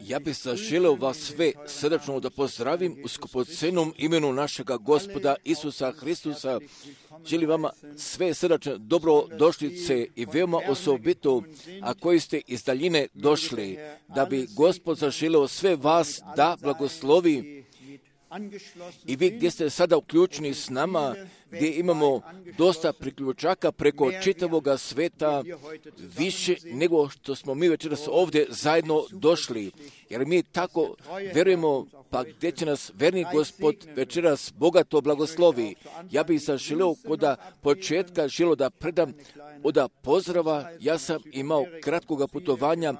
Ja bih zaželeo vas sve srdačno da pozdravim u skupocenom imenu našega Gospoda Isusa Hristusa. Želim vama sve srdačne dobrodošlice i veoma osobito, a koji ste iz daljine došli, da bi Gospod zaželeo sve vas da blagoslovi. I vi gdje ste sada uključeni s nama, gdje imamo dosta priključaka preko čitavoga sveta, više nego što smo mi večeras ovdje zajedno došli. Jer mi tako vjerujemo, pa gdje će nas verni Gospod večeras bogato blagoslovi. Ja bih zaželio kod početka želio da predam od pozdrava. Ja sam imao kratkoga putovanja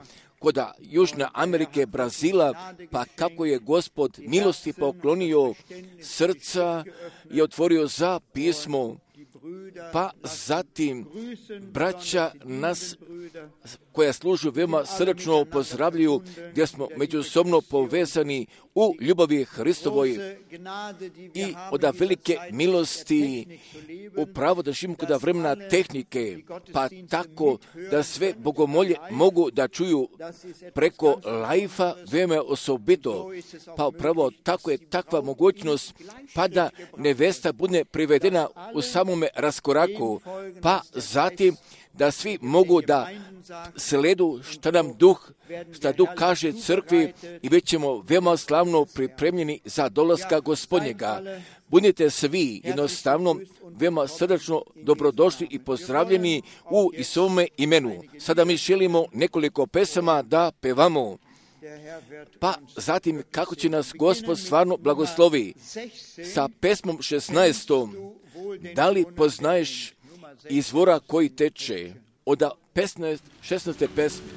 kod Južne Amerike, Brazila, pa kako je Gospod milosti poklonio srca i otvorio za pismo, pa zatim braća nas koja služu veoma srdačno pozdravljaju, gdje smo međusobno povezani u ljubavi Hristovoj i od velike milosti upravo da živimo kod vremena tehnike, pa tako da sve bogomolje mogu da čuju preko live-a veoma osobito, pa upravo tako je takva mogućnost, pa da nevesta bude privedena u samome raskoraku, pa zatim da svi mogu da sledu šta Duh kaže crkvi i bit ćemo veoma slavno pripremljeni za dolaska Gospodnjega. Budite svi jednostavno veoma srdačno dobrodošli i pozdravljeni u Isovome imenu. Sada mi želimo nekoliko pesama da pevamo. Pa zatim kako će nas Gospod stvarno blagoslovi. Sa pesmom 16. Da li poznaješ izvora koji teče? Od 16. pesme.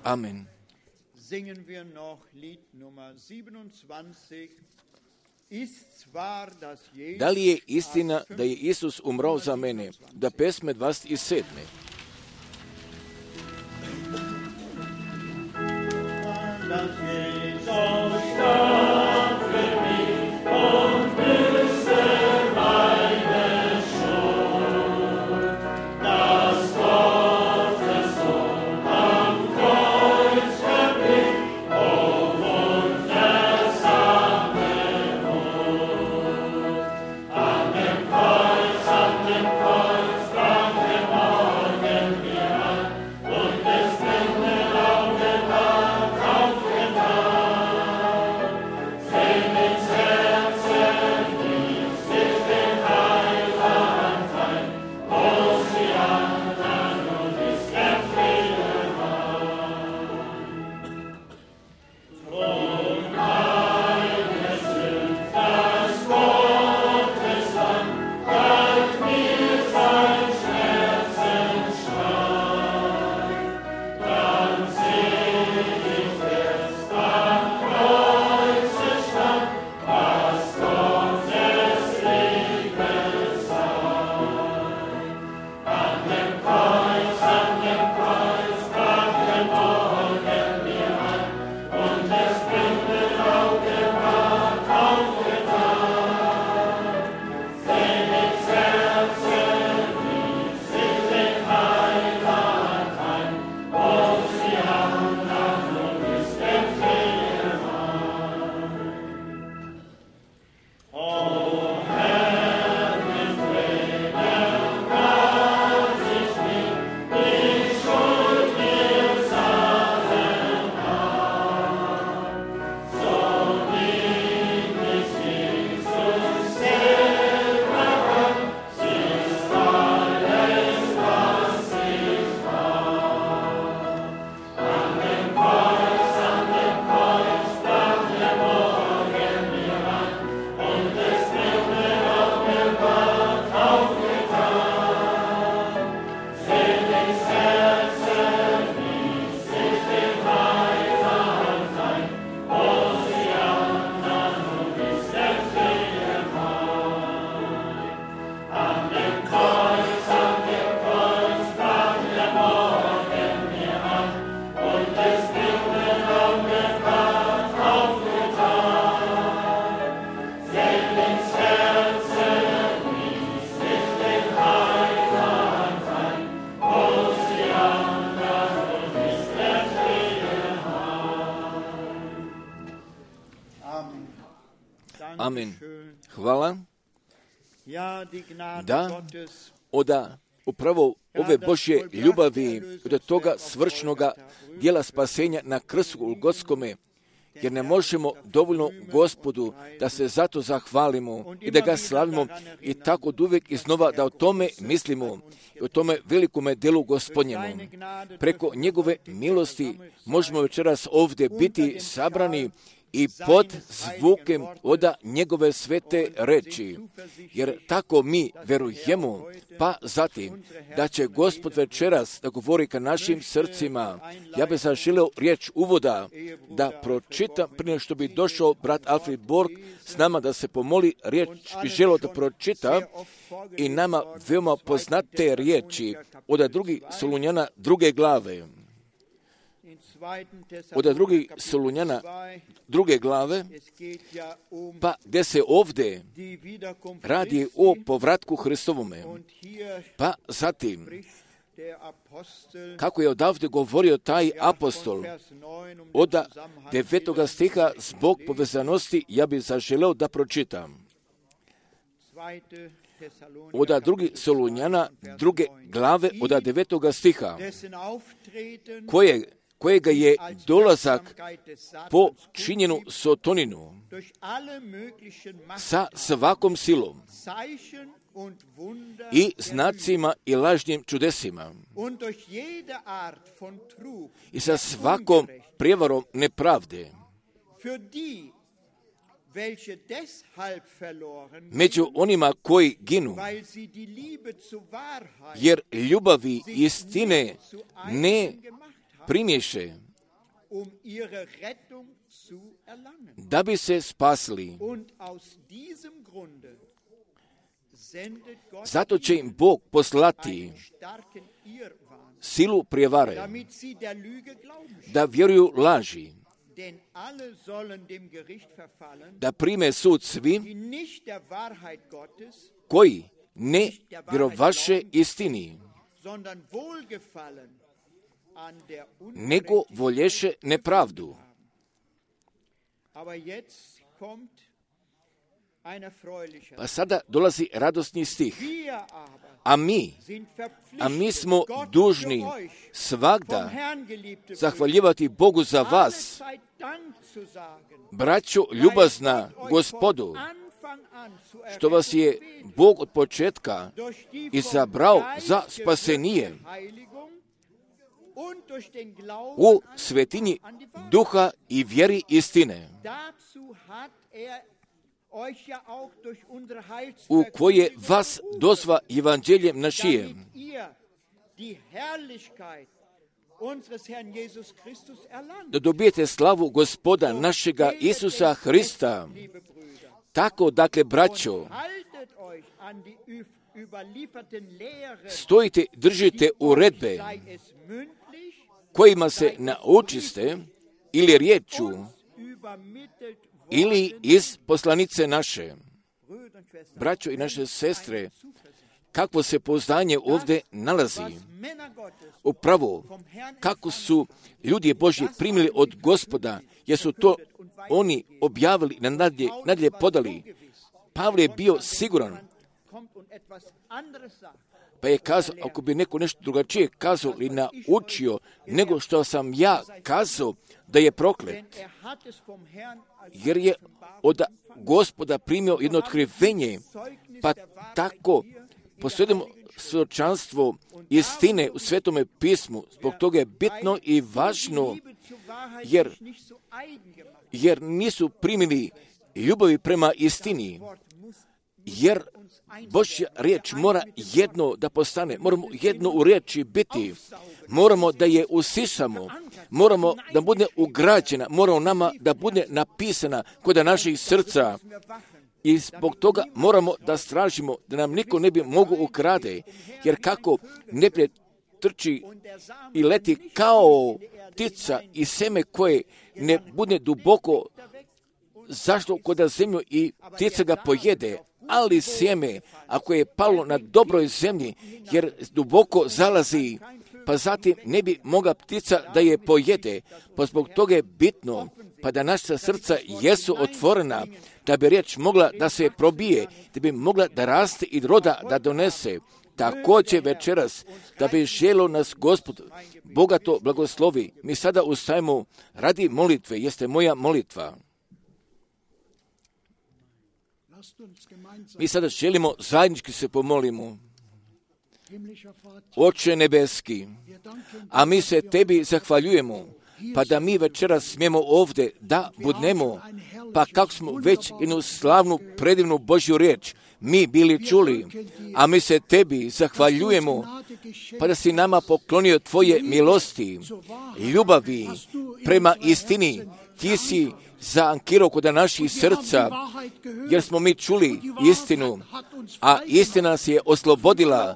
Amen. Da li je istina da je Isus umrao za mene? Da pesme 27. Amen. Hvala. Da, upravo ove Božje ljubavi od toga svršnoga dijela spasenja na krstu Golgotskome, jer ne možemo dovoljno Gospodu da se zato zahvalimo i da ga slavimo i tako uvijek iznova da o tome mislimo i o tome velikome delu Gospodnjemu. Preko njegove milosti možemo večeras ovdje biti sabrani i pod zvukem oda njegove svete reči, jer tako mi verujemo, pa zatim da će Gospod večeras da govori ka našim srcima. Ja bih zaželio riječ uvoda da pročitam prije što bi došao brat Alfred Borg s nama da se pomoli, riječ bi želio da pročita i nama veoma poznate riječi od drugih Solunjana 2. glave. Od drugih Solunjana 2. glave, pa gdje se ovdje radi o povratku Hristovome. Pa zatim, kako je odavde govorio taj apostol, od 9. stiha zbog povezanosti, ja bih zaželeo da pročitam. Od 2. Solunjana 2. glave, od 9. stiha, kojega je dolazak po činjenu sotoninu sa svakom silom i znacima i lažnim čudesima i sa svakom prijevarom nepravde, među onima koji ginu, jer ljubavi istine ne primješe, da bi se spasili. Zato će im Bog poslati silu prijevare, da vjeruju laži, da prime sud svi koji ne vjerovaše istini, nego volješe nepravdu. Pa sada dolazi radosni stih. A mi smo dužni svagda zahvaljivati Bogu za vas, braćo ljubazna Gospodu, što vas je Bog od početka izabrao za spasenije u svetinji duha i vjeri istine, u koje vas dozva evanđeljem našijem, da dobijete slavu Gospoda našega Isusa Hrista. Tako, dakle, braćo, stojite, držite uredbe kojima se naučiste ili riječu ili iz poslanice naše. Braćo i naše sestre, kakvo se pouzdanje ovdje nalazi. Upravo, kako su ljudi Božji primili od Gospoda, jer su to oni objavili, nadalje podali. Pavle je bio siguran, pa je kazao, ako bi neko nešto drugačije kazao ili naučio nego što sam ja kazao, da je proklet. Jer je od Gospoda primio jedno otkrivenje, pa tako posjedimo svjedočanstvo istine u Svetome pismu. Zbog toga je bitno i važno, jer nisu primili ljubavi prema istini, jer Božja riječ mora jedno da postane, moramo jedno u riječi biti, moramo da je usišamo, moramo da bude ugrađena, moramo nama da bude napisana kod naših srca i zbog toga moramo da stražimo da nam niko ne bi mogu ukrade, jer kako neprijatelj trči i leti kao ptica i seme koje ne bude duboko zašlo kod zemlju i ptica ga pojede, ali sjeme, ako je palo na dobroj zemlji, jer duboko zalazi, pa zatim ne bi mogla ptica da je pojede, pa zbog toga je bitno, pa da naša srca jesu otvorena, da bi riječ mogla da se probije, da bi mogla da raste i roda da donese. Također večeras, da bi želio nas Gospod bogato blagoslovi. Mi sada ustajemo radi molitve, jeste moja molitva. Mi sada želimo zajednički se pomolimo. Oče nebeski, a mi se tebi zahvaljujemo, pa da mi večeras smijemo ovdje da budnemo, pa kako smo već jednu slavnu, predivnu Božju riječ mi bili čuli, a mi se tebi zahvaljujemo, pa da si nama poklonio tvoje milosti, ljubavi prema istini. Ti si zaankirao kod naših srca, jer smo mi čuli istinu, a istina nas je oslobodila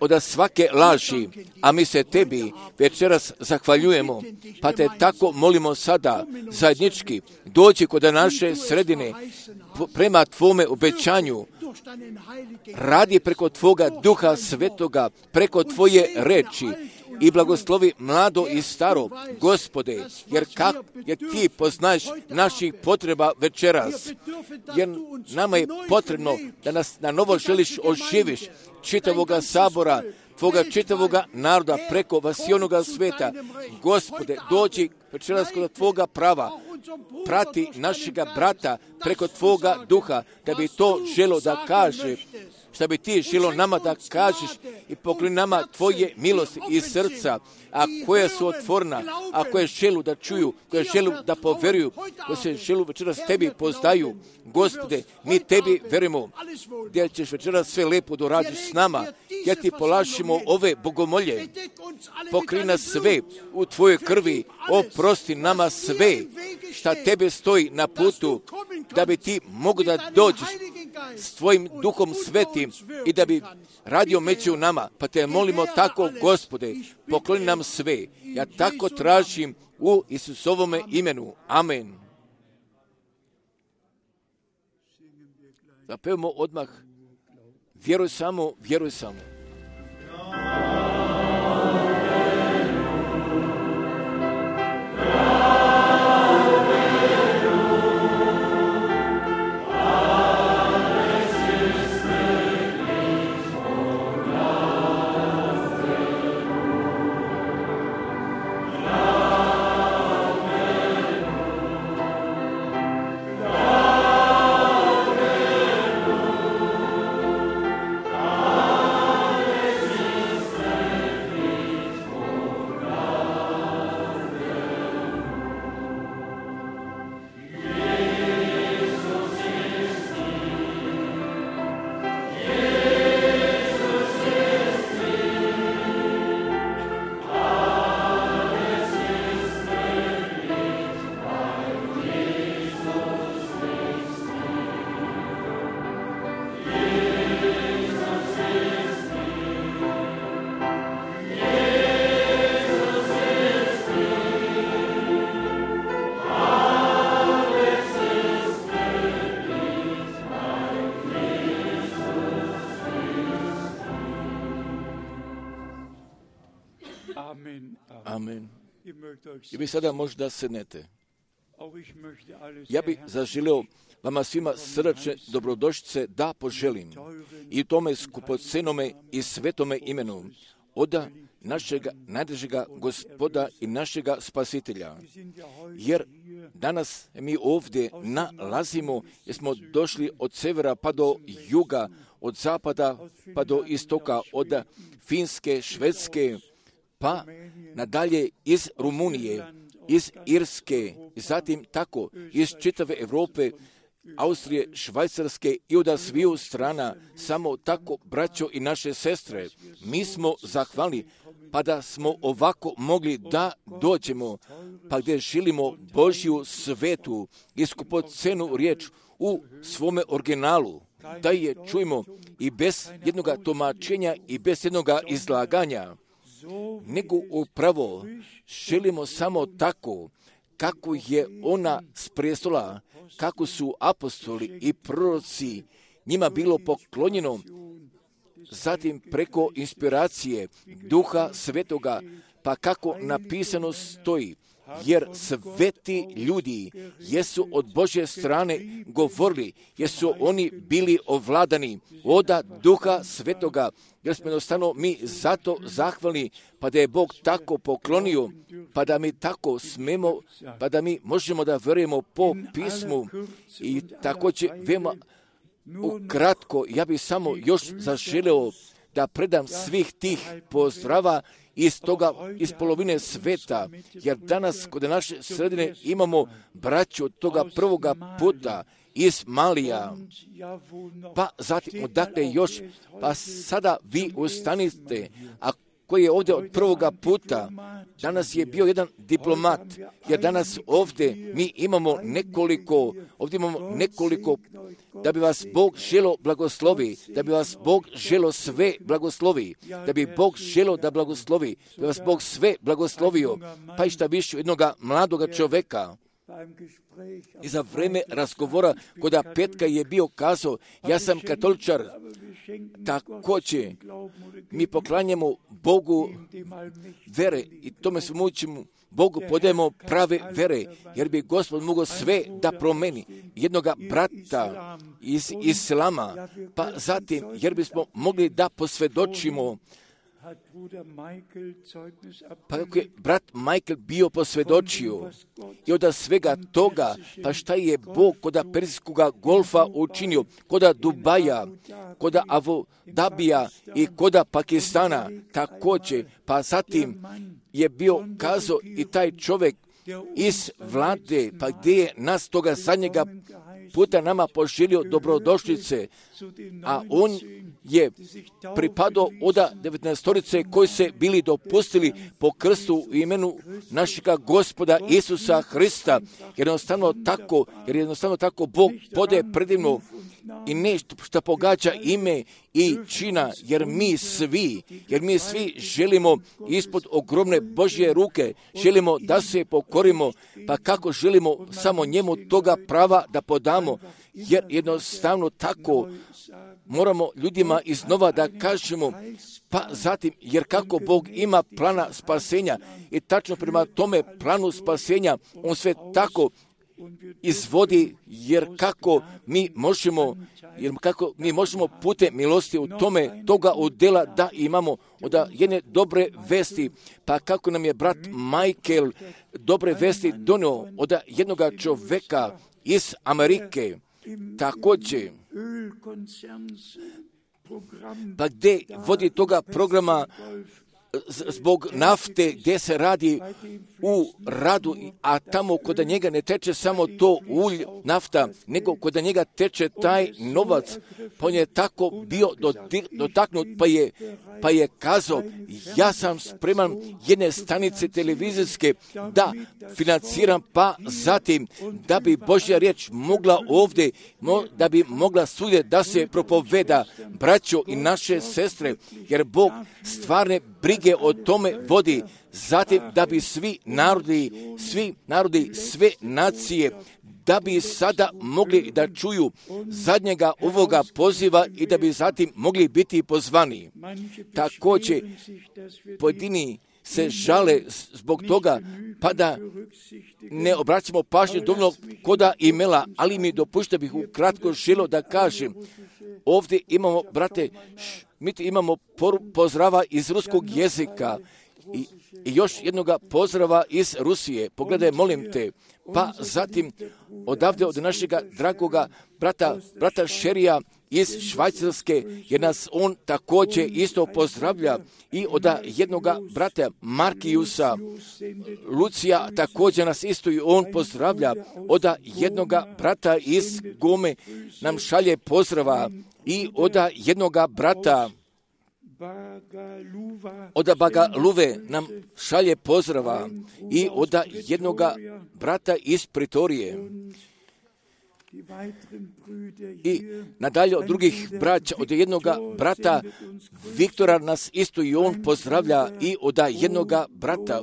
od svake laži, a mi se tebi večeras zahvaljujemo, pa te tako molimo sada zajednički, dođi kod naše sredine prema tvome obećanju, radi preko tvoga Duha Svetoga, preko tvoje reči i blagoslovi mlado i staro, Gospode, jer ti poznaješ naših potreba večeras, jer nama je potrebno da nas na novo želiš oživiš, čitavoga sabora, tvoga čitavoga naroda preko vasionoga sveta. Gospode, dođi večeras kod tvoga prava, prati našega brata preko tvoga duha, da bi to želo da kaže, šta bi ti želo nama da kažeš i pokloni nama tvoje milosti i srca, a koja su otvorena, a koje želu da čuju, koje želu da poveruju, koje se želu večeras tebi poznaju. Gospode, mi tebi verujemo, gdje ćeš večeras sve lepo doradiš s nama, ja ti polažimo ove bogomolje, pokri nas sve u tvojoj krvi, oprosti nama sve šta tebe stoji na putu, da bi ti mogu da dođeš s tvojim Duhom Svetim i da bi radio među nama, pa te molimo tako, Gospode, pokloni nam sve. Ja tako tražim u Isusovome imenu. Amen. Zapevamo odmah, vjeruj samo, vjeruj samo. Amen. I vi sada možda sednete. Ja bih zaželio vama svima srdačne dobrodošlice da poželim i tome skupocenome i svetome imenu oda našega najdražega Gospoda i našega Spasitelja. Jer danas mi ovdje nalazimo, jer smo došli od severa pa do juga, od zapada pa do istoka, od Finske, Švedske, pa nadalje iz Rumunije, iz Irske, i zatim tako iz čitave Europe, Austrije, Švajcarske i od sviju strana, samo tako, braćo i naše sestre, mi smo zahvalni, pa da smo ovako mogli da dođemo, pa gdje želimo Božju svetu, iskupocenu riječ u svome originalu, da je čujemo i bez jednog tumačenja i bez jednog izlaganja, nego upravo želimo samo tako, kako je ona s prijestola, kako su apostoli i proroci njima bilo poklonjeno, zatim preko inspiracije Duha Svetoga, pa kako napisano stoji, jer sveti ljudi jesu od Božje strane govorili, jesu oni bili ovladani od Duha Svetoga, jer smo jednostavno mi zato zahvalni, pa da je Bog tako poklonio, pa da mi tako smemo, pa da mi možemo da verujemo po pismu. I također veoma ukratko, ja bih samo još zaželeo da predam svih tih pozdrava iz polovine sveta, jer danas kod naše sredine imamo braću od toga prvoga puta iz Malija, pa zatim odakle još, pa sada vi ustanite, a koji je ovdje od prvoga puta, danas je bio jedan diplomat, jer danas ovdje mi imamo nekoliko, da bi vas Bog želo blagoslovi, da bi vas Bog želo sve blagoslovi, da bi Bog želo da blagoslovi, da bi vas Bog sve blagoslovio, pa i šta više jednoga mladoga čoveka. I za vreme razgovora kod petka je bio kazao, ja sam katoličar, također mi poklanjamo Bogu vere i tome se mučimo, Bogu podajemo prave vere, jer bi Gospod mogao sve da promeni jednoga brata iz Islama, pa zatim jer bismo mogli da posvjedočimo, pa kako je brat Michael bio posvjedočio i od svega toga, pa šta je Bog kod Perzijskog golfa učinio, kod Dubaja, kod Abu Dabija i kod Pakistana također, pa zatim je bio kazao i taj čovjek iz vlade, pa gdje je nas toga zadnjega puta nama poželio dobrodošlice, a on je pripadao od 19 koji se bili dopustili po krstu u imenu našega Gospoda Isusa Hrista, jer jednostavno tako Bog podaje predivno i nešto što pogađa ime i čina, jer mi svi želimo ispod ogromne Božje ruke, želimo da se pokorimo, pa kako želimo samo njemu toga prava da podamo, jer jednostavno tako moramo ljudima iznova da kažemo, pa zatim, jer kako Bog ima plana spasenja i tačno prema tome planu spasenja, on sve tako izvodi, jer kako mi možemo putem milosti u tome toga udjela da imamo od jedne dobre vesti, pa kako nam je brat Michael dobre vesti donio od jednoga čoveka iz Amerike, također, pa gdje vodi toga programa zbog nafte gdje se radi u radu, a tamo kod njega ne teče samo to nafta, nego kod njega teče taj novac, pa on je tako bio dotaknut, pa je kazao, ja sam spreman jedne stanice televizijske da financiram, pa zatim da bi Božja riječ mogla ovdje, da bi mogla svugdje da se propoveda, braćo i naše sestre, jer Bog stvarne brige o tome vodi, zatim da bi svi narodi, sve nacije, da bi sada mogli da čuju zadnjega ovoga poziva i da bi zatim mogli biti pozvani. Također, pojedini se žale zbog toga, pa da ne obraćamo pažnju dovoljno koda imela, ali mi dopušta bih ukratko želio da kažem, ovdje imamo, brate, mi imamo pozdrava iz ruskog jezika i još jednoga pozdrava iz Rusije. Pogledaj, molim te. Pa zatim odavde od našega dragoga brata Šerija iz Švajcarske, jer nas on također isto pozdravlja, i od jednoga brata Markijusa Lucija također nas isto i on pozdravlja, od jednoga brata iz Gome nam šalje pozdrava, i od jednoga brata od Bagaluve nam šalje pozdrava, i od jednoga brata iz Pretorije. I nadalje od drugih braća, od jednoga brata Viktora nas isto i on pozdravlja, i od jednoga brata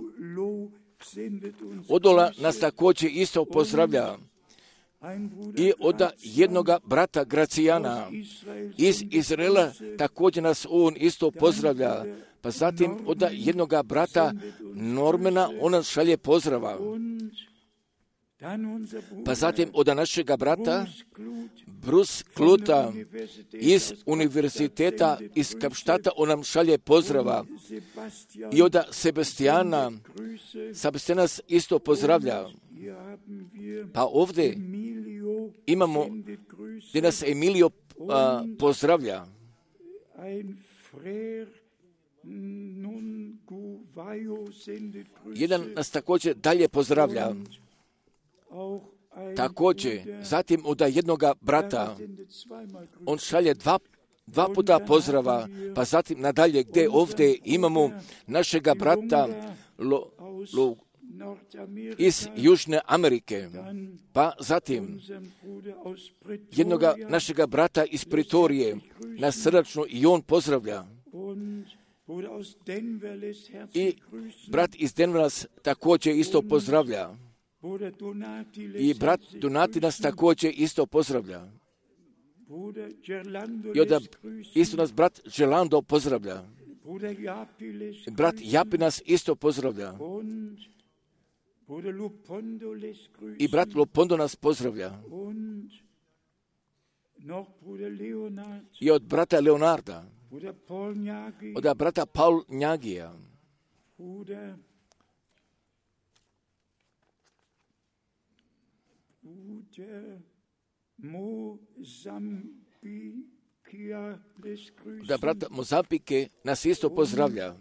Odola nas također isto pozdravlja. i od jednoga brata Gracijana iz Izraela, također nas on isto pozdravlja. Pa zatim od jednoga brata Normana on nas šalje pozdrava. Pa zatim od našega brata Bruce Kluta iz univerziteta iz Kapštata on nam šalje pozdrava. I od Sebastijana nas isto pozdravlja. Pa ovdje imamo gdje nas Emilio pozdravlja. Jedan nas također dalje pozdravlja. Također, zatim od jednoga brata, on šalje dva puta pozdrava, pa zatim nadalje gdje ovdje imamo našega brata iz Južne Amerike, pa zatim jednoga našega brata iz Pretorije, nas srdačno i on pozdravlja. I brat iz Denvera nas također isto pozdravlja. I brat Donati nas također isto pozdravlja. I onda isto nas brat Gelando pozdravlja. Brat Japi nas isto pozdravlja. I brat Lopondo nas pozdravlja. I od brata Leonarda. Od brata Paul Njagija. Da brata Mozambike nas isto pozdravlja.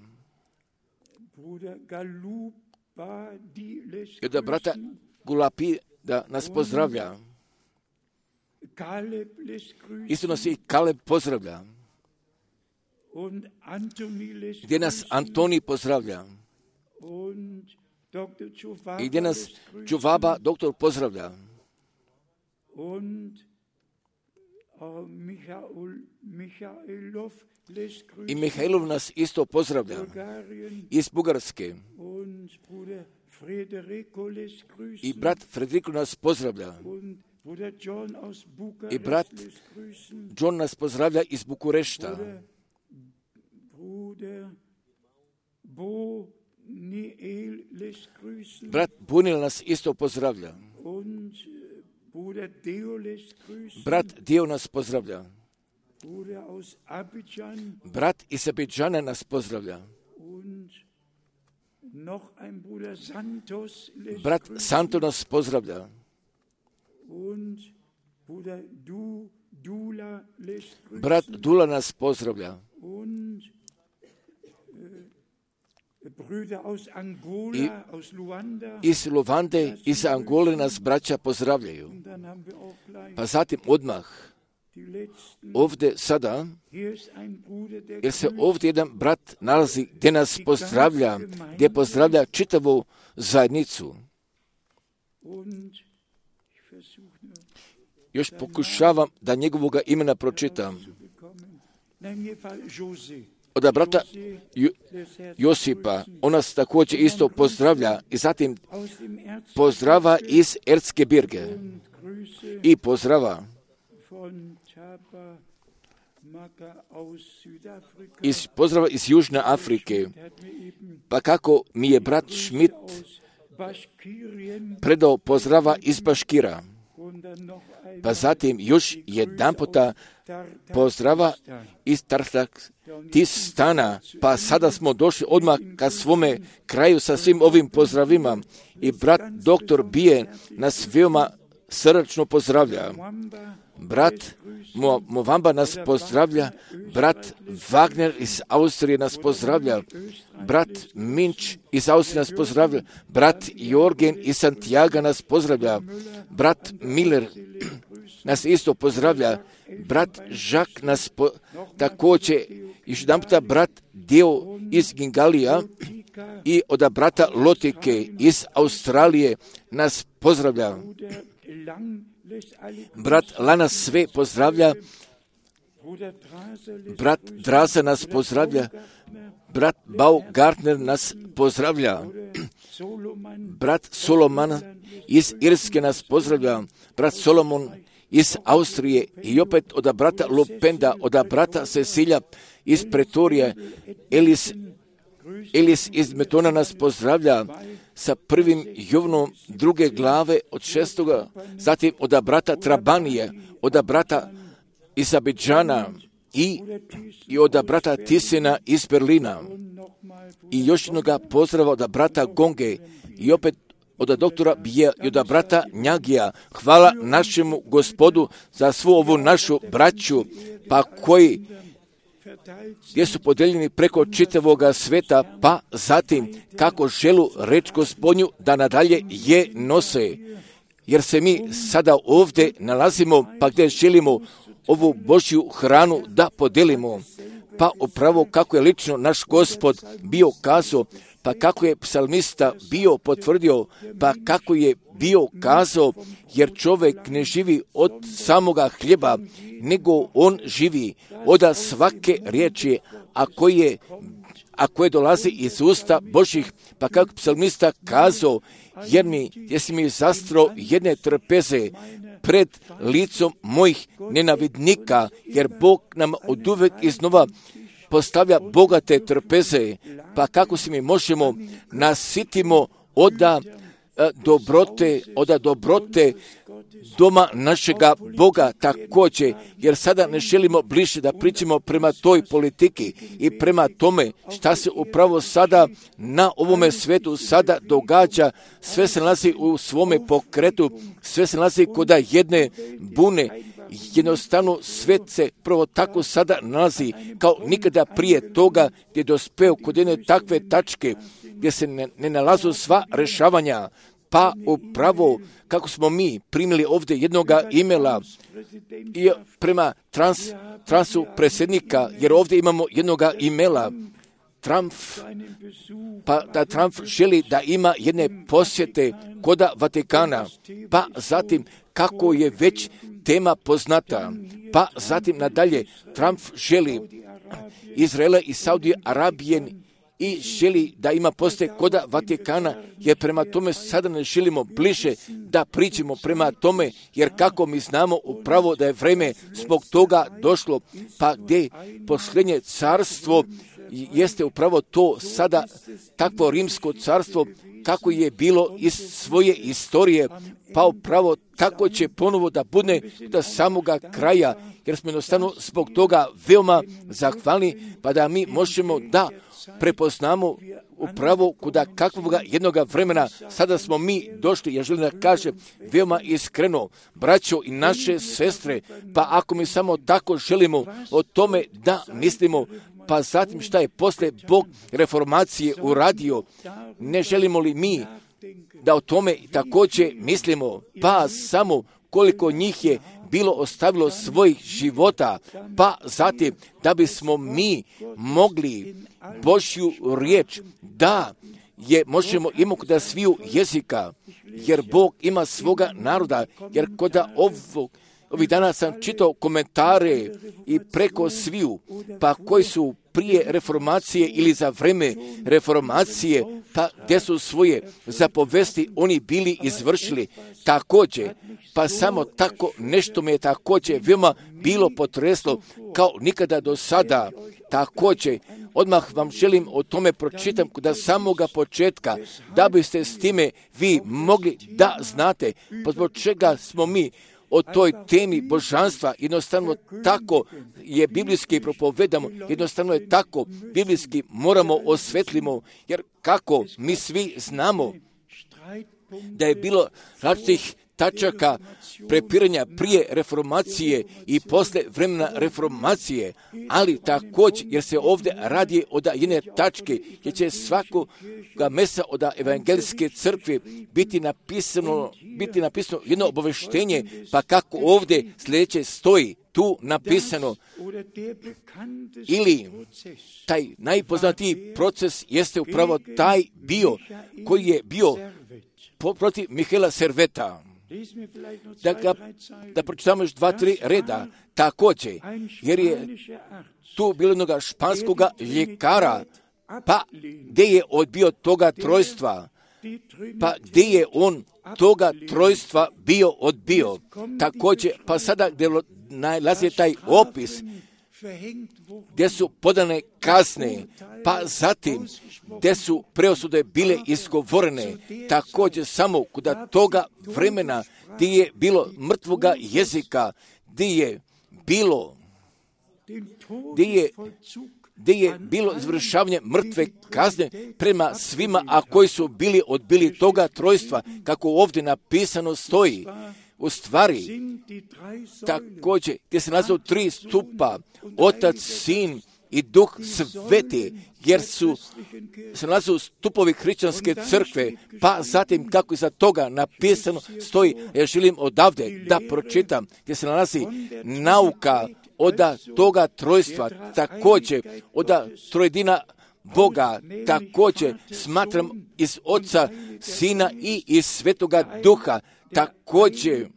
I da brata Gulapi da nas pozdravlja. Isto nas i Kaleb pozdravlja. Gdje nas Antoni pozdravlja. I gdje nas Čuvaba doktor pozdravlja. I Mihajlov nas isto pozdravlja iz Bugarske. I brat Frederiko nas pozdravlja. I brat John nas pozdravlja iz Bukurešta. Brat Bunil nas isto pozdravlja. Brat Dio nas pozdravlja. Brat iz Abidžana nas pozdravlja. Brat Santo nas pozdravlja. Brat Dula nas pozdravlja. I iz Luande, iz Angole nas braća pozdravljaju. Pa zatim odmah, ovdje sada, jer se ovdje jedan brat nalazi gdje nas pozdravlja, gdje pozdravlja čitavu zajednicu. Još pokušavam da njegovoga imena pročitam. Od brata Josipa, on nas također isto pozdravlja i zatim pozdrava iz Ertske Birge i pozdrava iz Južne Afrike. Pa kako mi je brat Schmidt predao pozdrava iz Baškira. Pa zatim još jedan puta pozdrava iz Tartakistana. Pa sada smo došli odmah ka svome kraju sa svim ovim pozdravima. I brat doktor Bije nas veoma srdačno pozdravlja. Brat Movamba nas pozdravlja. Brat Wagner iz Austrije nas pozdravlja. Brat Minč iz Austrije nas pozdravlja. Brat Jorgen iz Santiago nas pozdravlja. Brat Miller nas isto pozdravlja. Brat Žak nas također, još jedan puta brat Deo iz Gingalija i od brata Lotike iz Australije nas pozdravlja. Brat Lana sve pozdravlja Brat Draza nas pozdravlja, brat Baumgartner nas pozdravlja, brat Soloman iz Irske nas pozdravlja, brat Solomon iz Austrije i opet od brata Lupenda, od brata Cecilja iz Pretorije, Elis iz Metona nas pozdravlja sa 1. Jovnom 2. glave od 6. Zatim od brata Trabanije, od brata iz Abidžana i od brata Tisina iz Berlina. I još jednoga pozdrava od brata Gonge i opet od doktora Bija i od brata Njagija. Hvala našemu Gospodu za svu ovu našu braću, pa koji gdje su podeljeni preko čitavoga sveta, pa zatim kako želu reč Gospodnju da nadalje je nose. Jer se mi sada ovdje nalazimo, pa gdje želimo ovu Božju hranu da podelimo. Pa upravo kako je lično naš Gospod bio kazao, pa kako je psalmista bio potvrdio, pa kako je bio kazao, jer čovjek ne živi od samoga hljeba, nego on živi od svake riječi, a koje dolazi iz usta Božih, pa kako psalmista kazao, jer si mi zastro jedne trpeze pred licom mojih nenavidnika, jer Bog nam oduvek iznova postavlja bogate trpeze, pa kako se mi možemo nasitimo od dobrote doma našega Boga također, jer sada ne želimo bliže da pričamo prema toj politiki i prema tome šta se upravo sada na ovome svijetu sada događa. Sve se nalazi u svome pokretu, sve se nalazi kod jedne bune. Jednostavno svet se prvo tako sada nalazi kao nikada prije toga, gdje je dospeo kod jedne takve tačke gdje se ne nalazu sva rešavanja. Pa upravo kako smo mi primili ovdje jednoga imela i prema transu predsjednika, jer ovdje imamo jednoga imela, pa da Trump želi da ima jedne posjete koda Vatikana, pa zatim kako je već tema poznata, pa zatim nadalje Trump želi Izraela i Saudije Arabije i želi da ima posjete koda Vatikana, jer prema tome sada ne želimo bliže da pričamo prema tome, jer kako mi znamo upravo da je vreme zbog toga došlo, pa gdje posljednje carstvo jeste upravo to sada takvo rimsko carstvo kako je bilo iz svoje istorije, pa upravo tako će ponovo da bude do samoga kraja, jer smo jednostavno zbog toga veoma zahvalni, pa da mi možemo da prepoznamo upravo kuda kakvoga jednoga vremena sada smo mi došli. Ja želim da kažem veoma iskreno, braćo i naše sestre, pa ako mi samo tako želimo o tome da mislimo, pa zatim šta je posle Bog reformacije uradio, ne želimo li mi da o tome također mislimo, pa samo koliko njih je bilo ostavilo svojih života, pa zatim da bismo mi mogli Božju riječ da je možemo imati da sviju jezika, jer Bog ima svoga naroda, jer kod ovih dana sam čitao komentare i preko sviju, pa koji su prije reformacije ili za vreme reformacije, pa gdje su svoje zapovesti oni bili izvršili također, pa samo tako nešto me je također veoma bilo potreslo kao nikada do sada. Također, odmah vam želim o tome pročitam da samoga početka, da biste s time vi mogli da znate, pa zbog čega smo mi o toj temi božanstva, jednostavno tako je biblijski propovedamo, jednostavno je tako biblijski moramo osvetlimo, jer kako mi svi znamo da je bilo različitih tačaka prepiranja prije reformacije i posle vremena reformacije, ali također jer se ovdje radi od jedne tačke gdje će svakoga mesa od evangelijske crkve biti napisano jedno obaveštenje, pa kako ovdje sljedeće stoji tu napisano, ili taj najpoznatiji proces jeste upravo taj bio koji je bio protiv Mihaela Serveta. Da pročitamo još 2-3 reda, također, jer je tu bilo jednoga španskoga ljekara, pa gdje je odbio toga trojstva, pa gdje je on toga trojstva bio odbio. Također, pa sada gdje nalazi taj opis, gdje su podane kazne, pa zatim gdje su preosude bile izgovorene, također samo kod toga vremena gdje je bilo mrtvoga jezika, gdje je bilo izvršavanje mrtve kazne prema svima, a koji su bili odbili toga trojstva, kako ovdje napisano stoji. U stvari, također, gdje se nalaze 3 stupa, Otac, Sin i Duh Sveti, jer se nalaze stupovi hrišćanske crkve, pa zatim kako iza toga napisano stoji, ja želim odavde da pročitam, gdje se nalazi nauka od toga trojstva, također od trojedina Boga, također smatram iz Oca, Sina i iz Svetoga Duha, također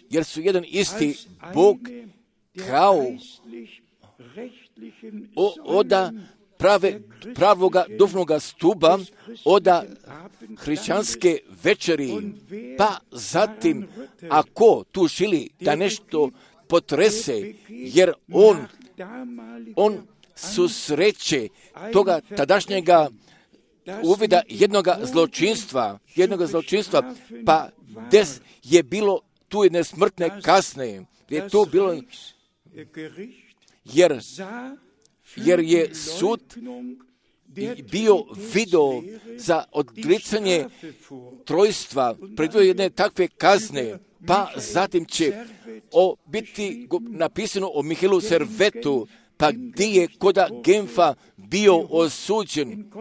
jer su jedan isti Bog kao od pravoga duhovnoga stuba, od hrišćanske večeri, pa zatim ako tu želi da nešto potrese, jer on susreće toga tadašnjega uvida jednoga zločinstva, pa des je bilo tu jedne smrtne kazne, je tu bilo, jer je sud bio video za odricanje trojstva, predvidio jedne takve kazne, pa zatim će biti napisano o Mihailu Servetu, pa gdje je koda Genfa bio osuđen,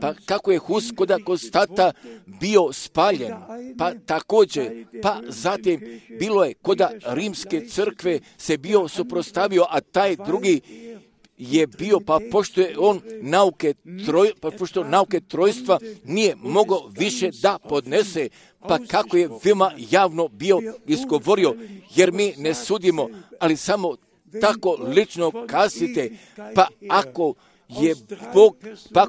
pa kako je Hus koda Konstata bio spaljen, pa također, pa zatim bilo je koda Rimske crkve se bio suprotstavio, a taj drugi je bio, pa pošto je on nauke trojstva nije mogao više da podnese, pa kako je veoma javno bio izgovorio, jer mi ne sudimo, ali samo tako lično kazite, pa ako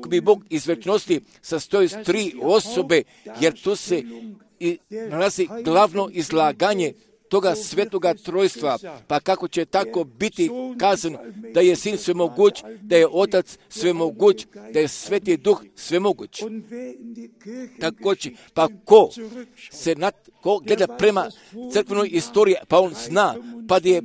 bi Bog iz večnosti sastoji s 3 osobe, jer tu se nalazi glavno izlaganje toga svetoga trojstva, pa kako će tako biti kazan da je Sin svemoguć, da je Otac svemoguć, da je Sveti Duh svemoguć. Također, pa ko gleda prema crkvenoj istoriji, pa on zna, pa da je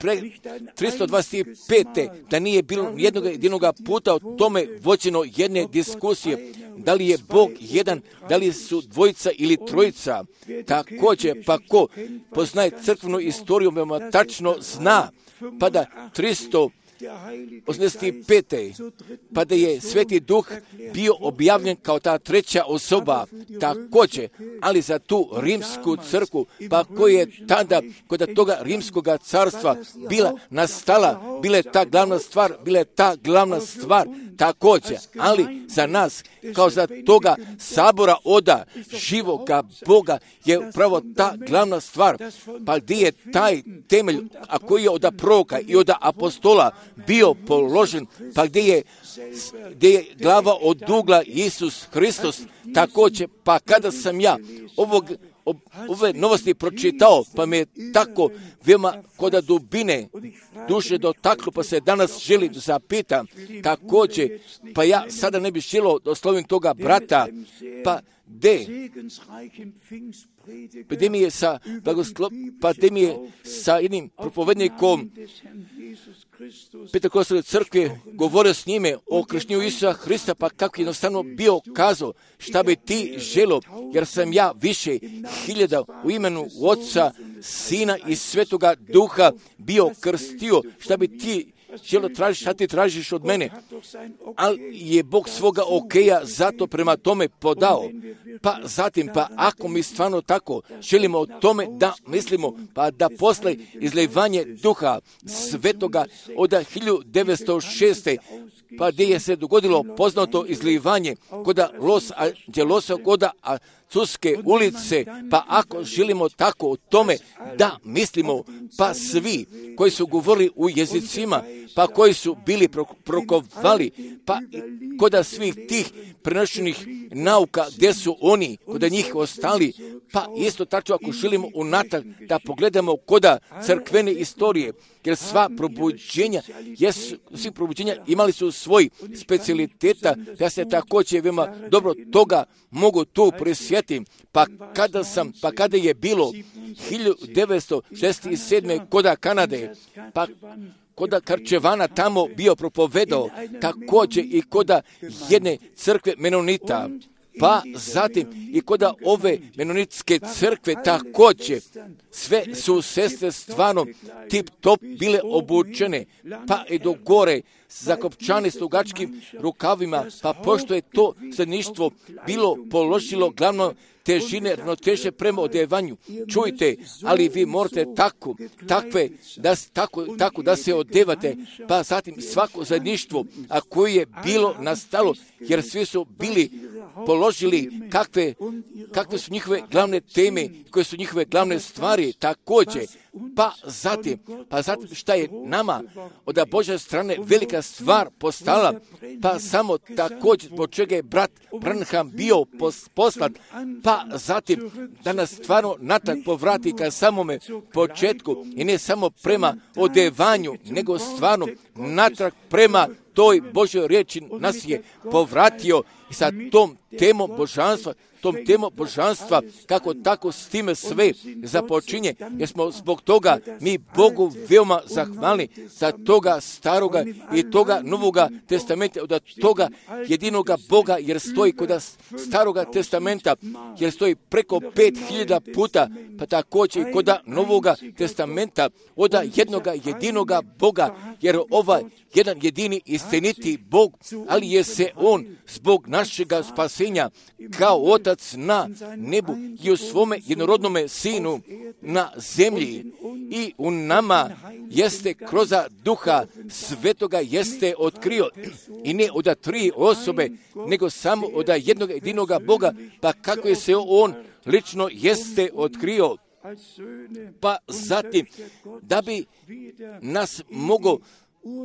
325. da nije bilo jednog puta o tome vođeno jedne diskusije, da li je Bog jedan, da li su dvojica ili trojica. Također, pa ko poznaje crkvenu istoriju, veoma tačno zna, pa da 385. pa da je Sveti Duh bio objavljen kao ta treća osoba, također, ali za tu rimsku crkvu, pa koja je tada kod toga rimskoga carstva bila nastala, bila je ta glavna stvar, također, ali za nas, kao za toga sabora oda živoga Boga, je upravo ta glavna stvar, pa gdje je taj temelj, a koji je od proroka i od apostola bio položen, pa gdje je glava od ugla Isus Hristos, također, pa kada sam ja ove novosti pročitao, pa me je tako veoma kod dubine duše dotaklo, pa se danas želi zapita, također, pa ja sada ne bih želio da oslovim toga brata, pa gdje mi je sa jednim propovednikom Pentekostalne crkve govorio s njime o krštenju Isusa Hrista, pa kako jednostavno bio kazao, šta bi ti želio, jer sam ja više hiljada u imenu Oca, Sina i Svetoga Duha bio krstio, šta bi ti želio tražiti, šta ti tražiš od mene, ali je Bog svoga okeja zato prema tome podao. Pa zatim, pa ako mi stvarno tako želimo o tome da mislimo, pa da posle izlivanje Duha Svetoga od 1906. pa gdje je se dogodilo poznato izlivanje koda Los Angelosa, koda Azuske ulice, pa ako želimo tako o tome da mislimo, pa svi koji su govorili u jezicima, pa koji su bili prokovali, pa koda svih tih prenošenih nauka, gdje su oni, koda njih ostali, pa isto tako ako želimo unatrag da pogledamo koda crkvene istorije, jer sva probuđenja, svi probuđenja imali su svoj specijaliteta, ja se također veoma dobro toga mogu tu prisjetiti, pa kada je bilo 1967. koda Kanade, pa koda Karčevana tamo bio propovedao, također i koda jedne crkve Menonita, pa zatim i koda ove menonitske crkve također, sve su sestre stvarno tip-top bile obučene, pa i do gore zakopčane s dugačkim rukavima, pa pošto je to zajedništvo bilo položilo glavno težine, ravnoteže prema odevanju. Čujte, ali vi morate tako da se odevate, pa zatim svako zajedništvo, a koje je bilo nastalo, jer svi su bili položili kakve su njihove glavne teme, koje su njihove glavne stvari, također, pa zatim šta je nama od Božje strane velika stvar postala, pa samo također zbog čega je brat Branham bio poslat, pa zatim da nas stvarno natrag povrati ka samome početku i ne samo prema odevanju, nego stvarno natrag prema toj Božjoj riječi nas je povratio i sa tom temom božanstva, kako tako s time sve započinje, jer smo zbog toga mi Bogu veoma zahvalni za toga staroga i toga novoga testamenta, od toga jedinoga Boga, jer stoji kod staroga testamenta, jer stoji preko 5000 puta, pa također i kod novoga testamenta, od jednoga jedinoga Boga, jer ovaj jedan jedini istiniti Bog, ali je se On zbog našega spasenja kao Otac na nebu i u svome jednorodnome Sinu na zemlji i u nama jeste kroz Duha Svetoga jeste otkrio, i ne od 3 osobe, nego samo od jednog jedinoga Boga, pa kako je se On lično jeste otkrio. Pa zatim, da bi nas mogao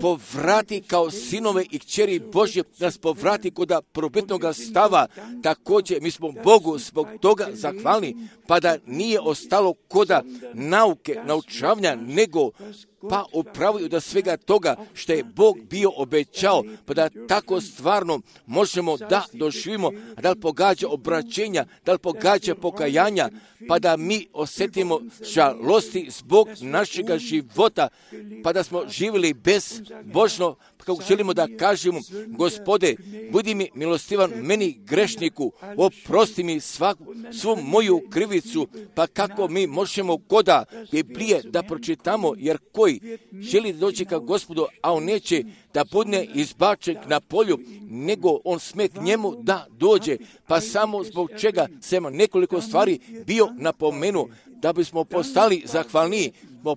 povrati kao sinove i kćeri Božje, nas povrati kod prvobitnog stava, također mi smo Bogu zbog toga zahvalni, pa da nije ostalo koda nauke, naučavanja, nego pa upravo od svega toga što je Bog bio obećao, pa da tako stvarno možemo da doživimo, da li pogađa obraćenja, da li pogađa pokajanja, pa da mi osjetimo žalosti zbog našega života, pa da smo živjeli bezbožno, kako želimo da kažemo, Gospode, budi mi milostivan meni grešniku, oprosti mi svu moju krivicu, pa kako mi možemo koda Biblije da pročitamo, jer koji želi da dođe ka Gospodu, a on neće da bude izbačen na polju, nego on sme k njemu da dođe, pa samo zbog čega sam nekoliko stvari bio napomenuo, da bismo postali zahvalniji,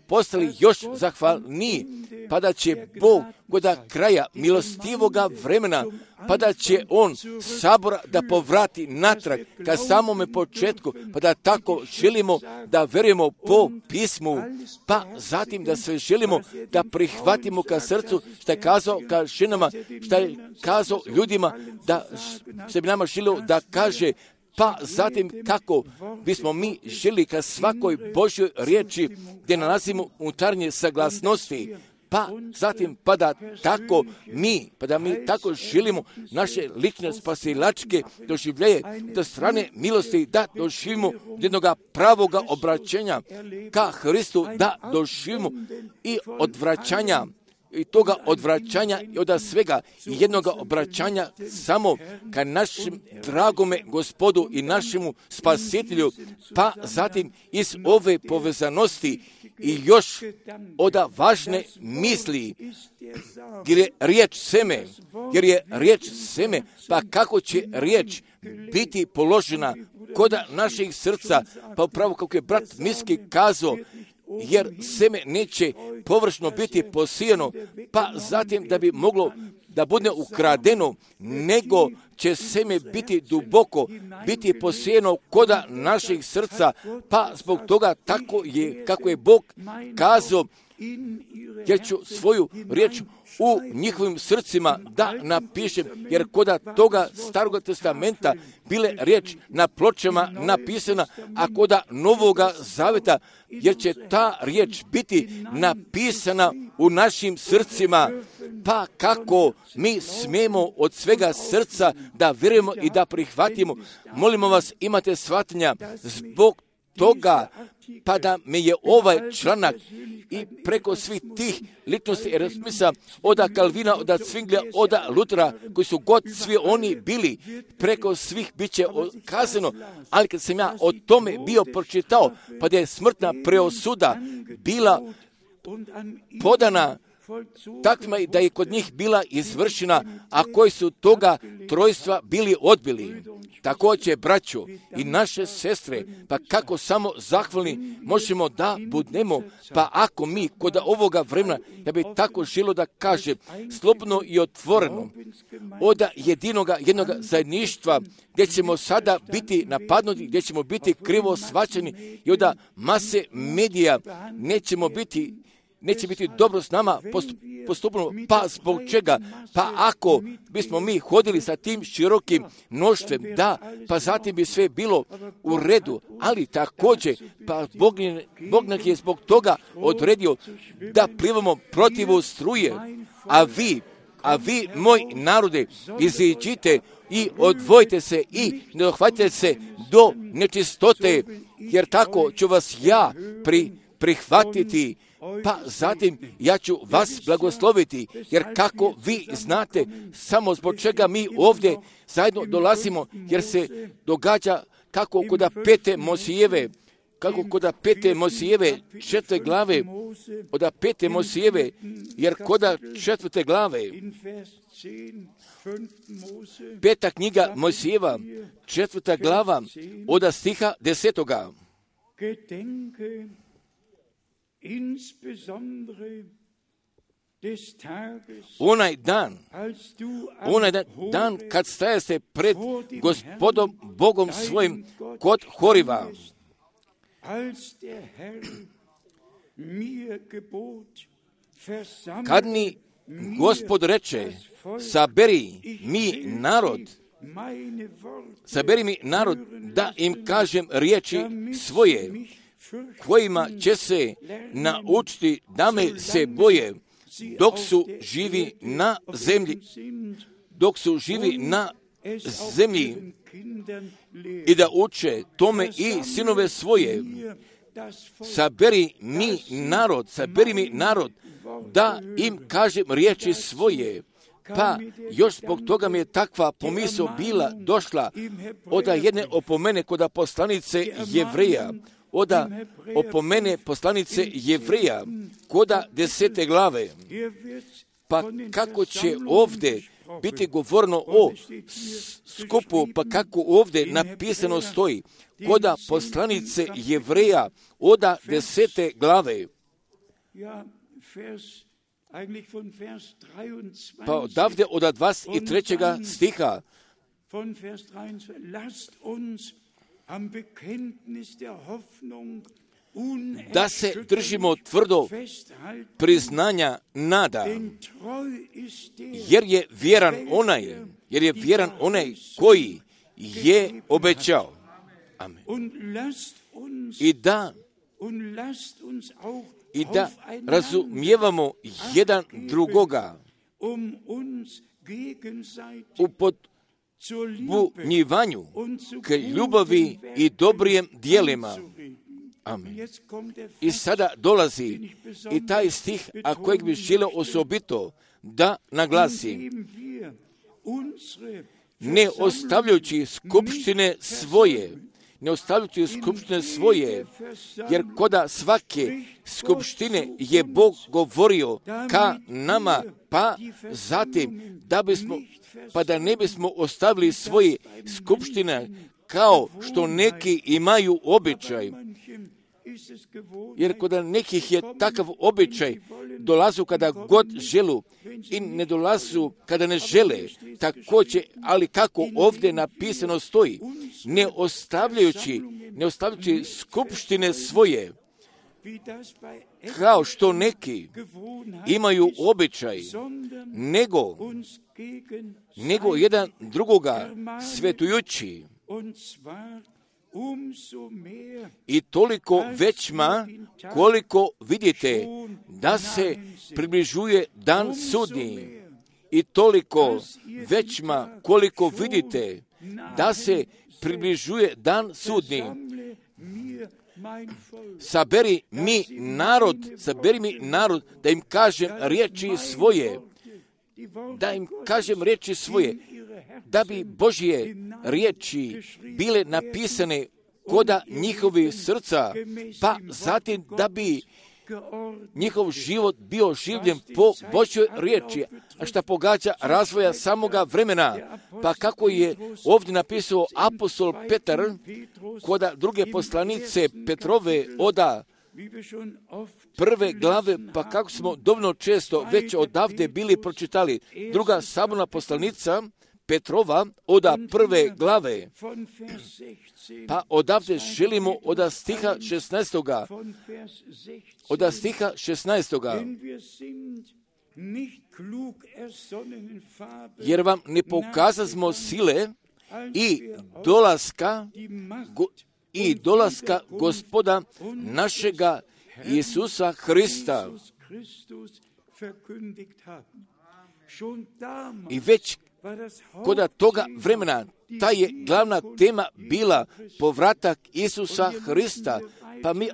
postali još zahvalniji, pa da će Bog kod kraja milostivoga vremena, pa da će On sabora da povrati natrag ka samome početku, pa da tako želimo da verujemo po pismu, pa zatim da sve želimo da prihvatimo ka srcu, što je kazao ka ženama, što je kazao ljudima, da se bi nama želio da kaže, pa zatim kako bismo mi želi ka svakoj Božjoj riječi gdje nalazimo unutarnje saglasnosti, pa zatim pa da mi tako želimo naše lične spasilačke doživljaje do strane milosti, da doživimo jednog pravoga obraćenja ka Hristu, da doživimo i odvraćanja, i toga odvraćanja i od svega i jednog obraćanja samo ka našem dragome Gospodu i našemu Spasitelju, pa zatim iz ove povezanosti i još od važne misli, jer je riječ seme, pa kako će riječ biti položena kod naših srca, pa upravo kako je brat Miski kazao, jer seme neće površno biti posijeno, pa zatim da da bude ukradeno, nego će seme biti duboko, biti posijeno koda naših srca, pa zbog toga tako je, kako je Bog kazao, jer ću svoju riječ u njihovim srcima da napišem, jer koda toga Starog testamenta bile riječ na pločama napisana, a koda Novoga zaveta, jer će ta riječ biti napisana u našim srcima, pa kako mi smijemo od svega srca da vjerujemo i da prihvatimo. Molimo vas, imate shvatanja zbog toga, pa da me je ovaj članak i preko svih tih ličnosti Erasmisa, oda Kalvina, oda Cvinglja, oda Lutera, koji su god svi oni bili, preko svih bit će kazano, ali kad sam ja o tome bio pročitao, pa da je smrtna preosuda bila podana takvima da je kod njih bila izvršena, a koji su toga trojstva bili odbili. Također, braćo i naše sestre, pa kako samo zahvalni možemo da budemo, pa ako mi kod ovoga vremena, ja bih tako želio da kažem, slobodno i otvoreno, od jednog zajedništva, gdje ćemo sada biti napadnuti, gdje ćemo biti krivo shvaćeni i od mase medija neće biti dobro s nama postupno, pa zbog čega? Pa ako bismo mi hodili sa tim širokim mnoštvom, da, pa zatim bi sve bilo u redu, ali također, pa Bog nas je zbog toga odredio da plivamo protiv struje, a vi, moj narode, iziđite i odvojite se i ne dohvatite se do nečistote, jer tako ću vas ja prihvatiti, pa zatim ja ću vas blagosloviti, jer kako vi znate samo zbog čega mi ovdje zajedno dolazimo, jer se događa kako kod pete Mosijeve 4. glave, od 5. Mosijeve, jer kod 4. glave, 5. knjiga Mosijeva, 4. glava, od stiha 10. Onaj dan kad staje se pred Gospodom Bogom svojim kod Horiva, kad mi Gospod reče, saberi mi narod da im kažem riječi svoje, kojima će se naučiti da me se boje dok su živi na zemlji i da uče tome i sinove svoje. Saberi mi narod da im kažem riječi svoje. Pa još zbog toga mi je takva pomisao bila došla od jedne opomene kod poslanice Jevreja, koda 10. glave. Pa kako će ovdje biti govorno o skupu, pa kako ovdje napisano stoji, koda poslanice Jevreja, od 10. glave. Pa odavde od 23. stiha, da se držimo tvrdo priznanja nada, jer je vjeran onaj koji je obećao. Amen. I da razumijevamo jedan drugoga u podbunjivanju k ljubavi i dobrim dijelima. Amen. I sada dolazi i taj stih, a kojeg bih želio osobito da naglasim. Ne ostavljajući skupštine svoje, jer koda svake skupštine je Bog govorio ka nama, pa zatim da ne bismo ostavili svoje skupštine kao što neki imaju običaj. Jer kod nekih je takav običaj, dolazu kada god želu i ne dolazu kada ne žele, također, ali kako ovdje napisano stoji, ne ostavljajući skupštine svoje, kao što neki imaju običaj, nego jedan drugoga svetujući. I toliko većma koliko vidite da se približuje dan sudnji. I toliko većma koliko vidite da se približuje dan sudnji. Saberi mi narod da im kažem riječi svoje, da bi Božje riječi bile napisane koda njihovi srca, pa zatim da bi njihov život bio življen po Božjoj riječi, a šta pogađa razvoja samoga vremena. Pa kako je ovdje napisao apostol Petar koda druge poslanice Petrove oda prve glave, pa kako smo dovoljno često već odavde bili pročitali. Druga saborna poslanica Petrova oda prve glave, pa odavde želimo od stiha 16. Jer vam ne pokazasmo sile i dolaska Gospoda našega Isusa Hrista. I već koda toga vremena ta je glavna tema bila povratak Isusa Hrista. Pa mi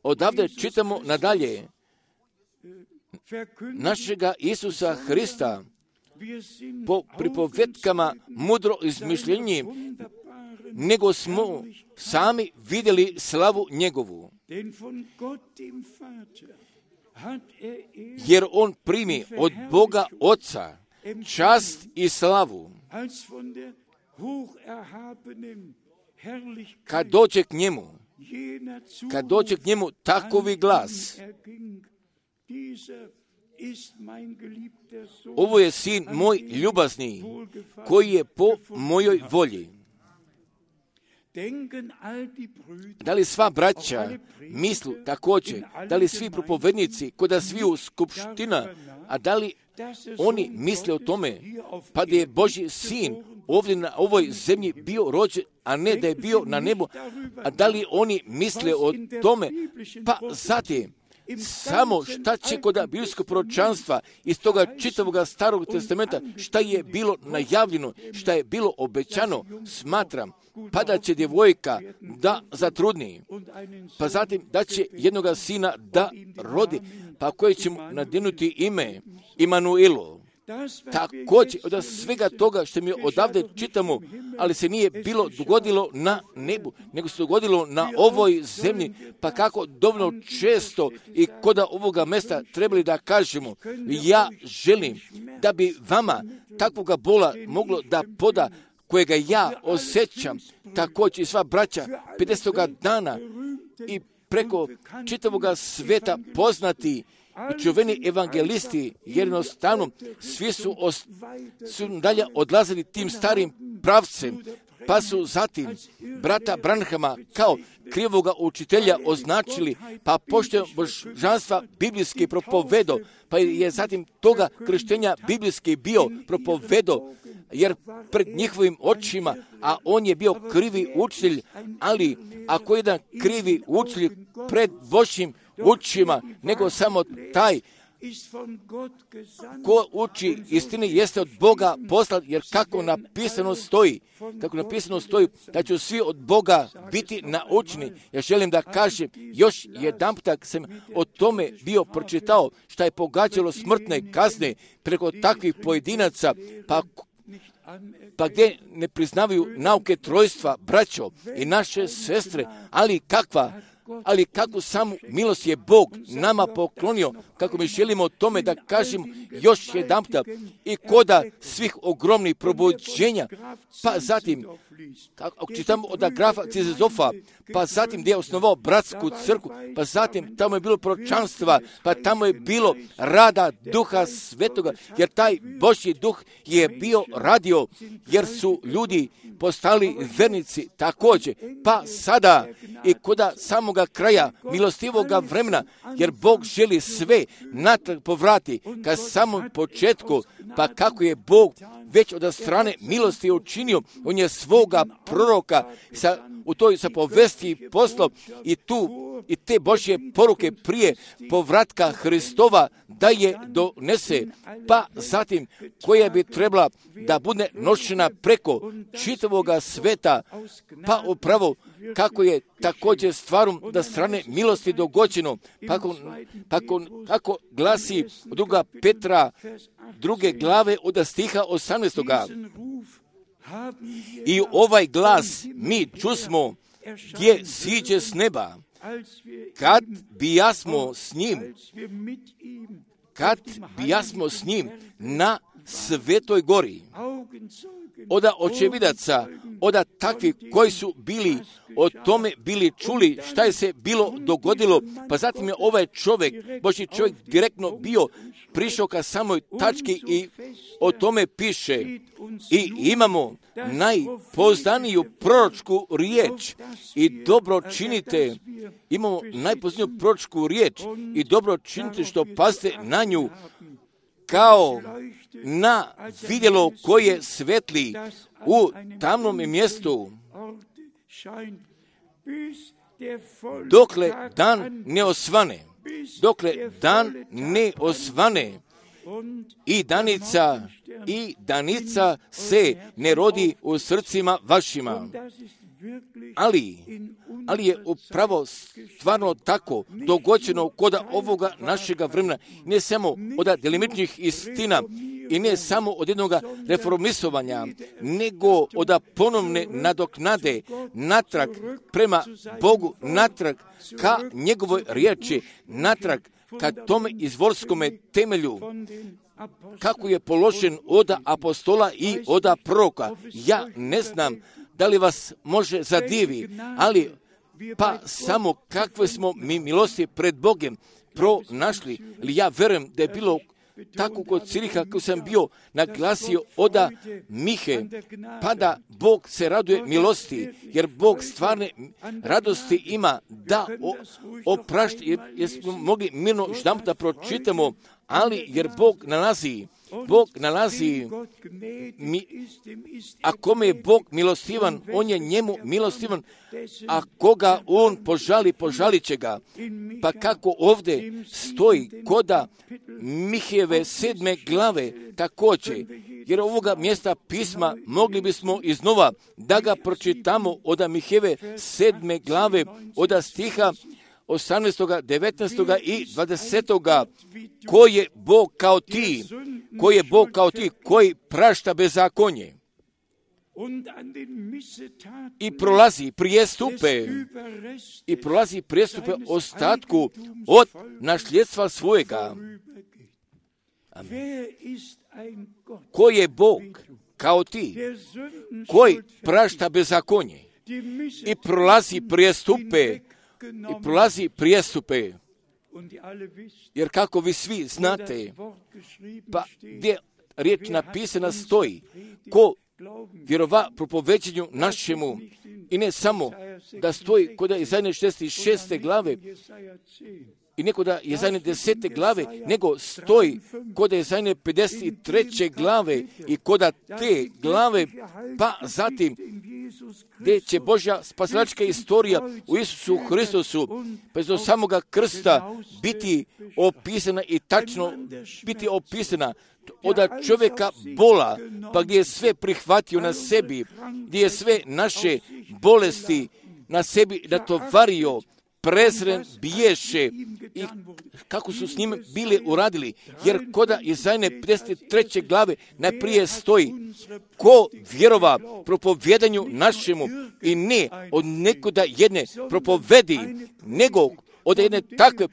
odavde čitamo nadalje našega Isusa Hrista po pripovetkama mudro izmišljenji, nego smo sami vidjeli slavu njegovu. Jer on primi od Boga Oca čast i slavu. Kad dođe k njemu takovi glas: ovo je sin moj ljubazni, koji je po mojoj volji. Da li sva braća mislu također, da li svi propovednici, koda sviju skupština, a da li oni misle o tome, pa da je Božji sin ovdje na ovoj zemlji bio rođen, a ne da je bio na nebu, a da li oni misle o tome, pa zatim samo šta će kod biblijskog proročanstva iz toga čitavog starog testamenta, šta je bilo najavljeno, šta je bilo obećano, smatram, pa da će djevojka da zatrudni, pa zatim da će jednoga sina da rodi, pa koje će mu nadjenuti ime Imanuilo. Također od svega toga što mi odavde čitamo, ali se nije bilo dogodilo na nebu, nego se dogodilo na ovoj zemlji, pa kako dovoljno često i koda ovoga mjesta trebali da kažemo, ja želim da bi vama takvoga bola moglo da poda, kojega ja osjećam, također i sva braća 50. dana i preko čitavoga sveta poznati i čuveni evangelisti, jednostavno svi su dalje odlazili tim starim pravcem, pa su zatim brata Branhama kao krivoga učitelja označili, pa pošto božanstva biblijski propovedo, pa je zatim toga krštenja biblijski bio propovedo, jer pred njihovim očima, a on je bio krivi učitelj, ali ako jedan krivi učitelj pred Božjim učima, nego samo taj ko uči istini jeste od Boga poslat, jer kako napisano stoji, da će svi od Boga biti naučeni. Ja želim da kažem, još jedanputak sam o tome bio pročitao, šta je pogađalo smrtne kazne preko takvih pojedinaca, pa gdje ne priznavaju nauke trojstva, braćo i naše sestre, ali kakva ali kako samu milost je Bog nama poklonio, kako mi želimo o tome da kažem još jedanputa i koda svih ogromnih probuđenja, pa zatim, ako čitamo od grafa Cizezofa, pa zatim gdje je osnovao bratsku crkvu, pa zatim tamo je bilo proročanstva, pa tamo je bilo rada Duha Svetoga, jer taj Božji duh je bio radio, jer su ljudi postali vernici također, pa sada i koda samoga kraja milostivoga vremena, jer Bog želi sve natrag povrati ka samom početku, pa kako je Bog već od strane milosti učinio, on je svoga proroka u toj povesti poslao i te Božje poruke prije povratka Hristova da je donese, pa zatim koja bi trebala da bude nošena preko čitavoga sveta, pa upravo kako je također stvarom da strane milosti dogođeno, kako glasi druga Petra, 2. glave od stiha 18. I ovaj glas mi čusmo gdje siđe s neba, kad bijasmo s njim na Svetoj gori. Oda očevidaca, oda takvi koji su bili o tome bili čuli šta je se bilo dogodilo, pa zatim je ovaj čovjek, Božji čovjek, direktno bio prišao ka samoj tački i o tome piše. I imamo najpoznaniju proročku riječ i dobro činite. Imamo najpoznaniju proročku riječ i dobro činite što pazite na nju, kao na vidjelo koje svetli u tamnom mjestu, dokle dan ne osvane, i danica se ne rodi u srcima vašima. Ali je upravo stvarno tako dogođeno kod ovoga našega vremena, ne samo od delimičnih istina i ne samo od jednog reformisovanja, nego od ponovne nadoknade natrag prema Bogu, natrag ka njegovoj riječi, natrag ka tome izvorskome temelju, kako je položen od apostola i od proroka. Ja ne znam da li vas može zadivi, ali pa samo kakve smo mi milosti pred Bogom pronašli. Ili ja verujem da je bilo tako kod Ciriha, kako sam bio naglasio od Mihe, pa da Bog se raduje milosti, jer Bog stvarne radosti ima da oprašta, jer smo mogli mirno ždam da pročitamo, ali jer Bog nalazi, a kome je Bog milostivan, on je njemu milostivan, a koga on požalit će ga. Pa kako ovdje stoji koda Mihejeve 7. glave također, jer ovoga mjesta pisma mogli bismo iznova da ga pročitamo od Mihejeve 7. glave od stiha 18., 19. i 20. Koji je Bog kao ti, koji prašta bezakonje i prolazi prijestupe ostatku od nasljedstva svojega. Amen. Koji je Bog kao ti, koji prašta bezakonje i prolazi prijestupe, jer kako vi svi znate, pa gdje riječ napisana stoji, ko vjerova propoveđenju našemu, i ne samo da stoji kod Izaije 66. glave i ne kod Izaije 10. glave, nego stoji kod Izaije 53. glave i kod te glave, pa zatim gdje će Božja spasilačka istorija u Isusu Hristusu bez do samoga krsta biti opisana i tačno biti opisana od čovjeka bola, pa gdje je sve prihvatio na sebi, gdje je sve naše bolesti na sebi natovario, prezren biješe i kako su s njim bili uradili. Jer koda Izajne 53. glave najprije stoji: ko vjerova propovjedanju našemu i ne od nekoda jedne propovedi, nego od jedne takve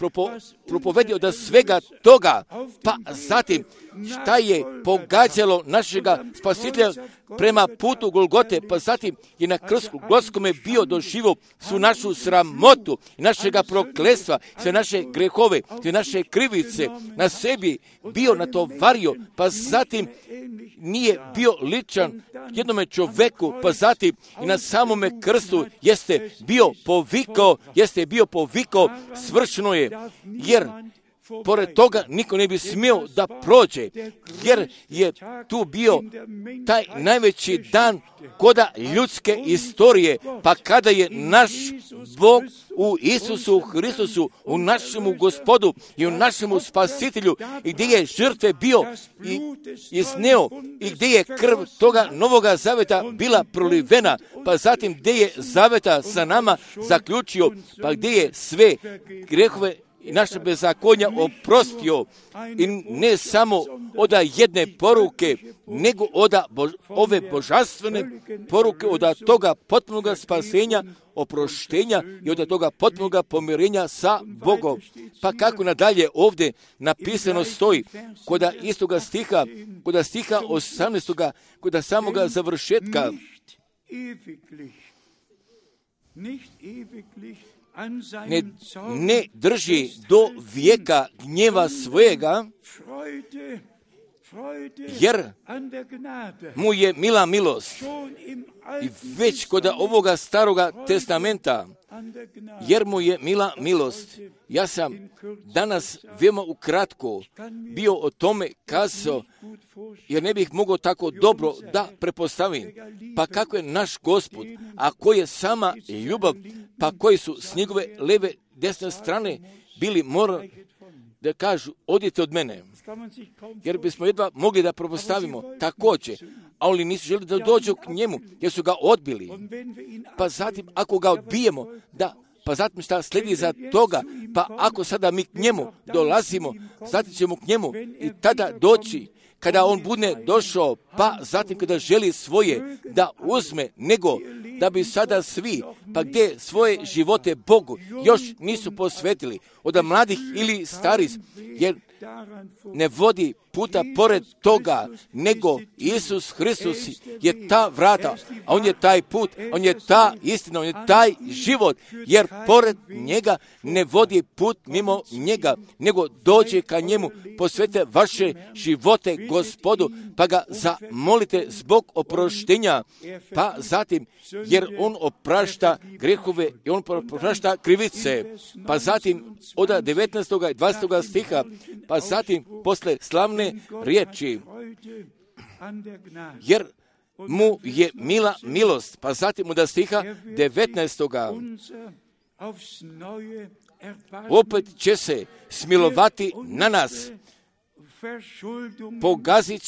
propovedi od svega toga. Pa zatim šta je pogađalo našega spasitelja prema putu Golgote, pa zatim je na krstu Golgotskome bio doživio svu našu sramotu i našega prokletstva, sve naše grehove, sve naše krivice na sebi bio natovario, pa zatim nije bio ličan jednome čoveku, pa zatim i na samome krstu jeste bio povikao, svršeno je, jer pored toga niko ne bi smio da prođe, jer je tu bio taj najveći dan koda ljudske istorije, pa kada je naš Bog u Isusu Hristusu, u našemu Gospodu i u našemu Spasitelju, i gdje je žrtve bio i izneo, i gdje je krv toga novoga zaveta bila prolivena, pa zatim gdje je zaveta sa nama zaključio, pa gdje je sve grehove i naše bezakonja oprostio, i ne samo od jedne poruke, nego od ove božanstvene poruke, od toga potpunog spasenja, oproštenja i od toga potpunog pomirenja sa Bogom. Pa kako nadalje ovdje napisano stoji, kod istoga stiha, kod stiha 18. kod samoga završetka: ne drži do vijeka gnjeva svojega, jer mu je mila milost. I već kod ovoga staroga testamenta, jer mu je mila milost. Ja sam danas veoma ukratko bio o tome kazao, jer ne bih mogao tako dobro da prepostavim. Pa kako je naš Gospod, a koji je sama ljubav, pa koji su s njegove leve, desne strane bili morali da kažu: odite od mene. Jer bismo jedva mogli da prepostavimo također, ali nisu želi da dođu k njemu, jer su ga odbili. Pa zatim, ako ga odbijemo, pa zatim šta slijedi za toga, pa ako sada mi k njemu dolazimo, zatim ćemo k njemu i tada doći, kada on bude došao, pa zatim kada želi svoje da uzme, nego da bi sada svi, pa gdje svoje živote Bogu još nisu posvetili, od mladih ili starih, jer ne vodi puta pored toga, nego Isus Hristus je ta vrata, a on je taj put, on je ta istina, on je taj život, jer pored njega ne vodi put mimo njega, nego dođe ka njemu, posvete vaše živote Gospodu, pa ga zamolite zbog oproštenja, pa zatim, jer on oprašta grehove i on oprašta krivice, pa zatim od 19. i 20. stiha, pa zatim posle slavne riječi, jer mu je mila milost, pa zatim od stiha 19. opet će se smilovati na nas, pogazit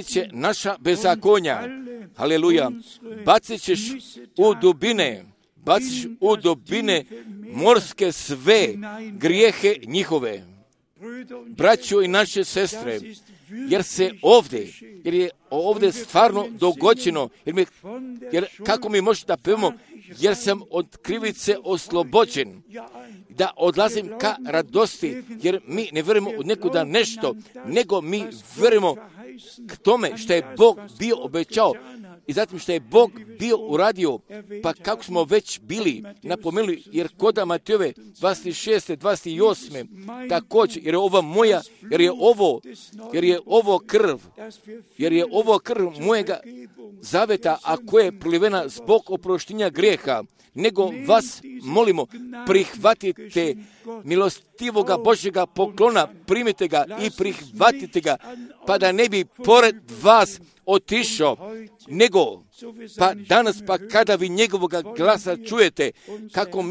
će naša bezakonja. Haleluja. Baciš u dubine morske sve grijehe njihove. Braćo i naše sestre, jer je ovdje stvarno dogođeno, jer kako mi možete da pevamo, jer sam od krivice oslobođen, da odlazim ka radosti, jer mi ne vjerujemo od nekuda nešto, nego mi vjerujemo k tome što je Bog bio obećao i zatim što je Bog bio uradio, pa kako smo već bili napomenuli, jer kod Matejove 26. 28. također, jer je ova moja, jer je ovo krv mojega zaveta, a koja je prolivena zbog oproštenja grijeha, nego vas molimo, prihvatite milostivoga Božjega poklona, primite ga i prihvatite ga, pa da ne bi pored vas otišao, nego pa danas, pa kada vi njegovoga glasa čujete, kako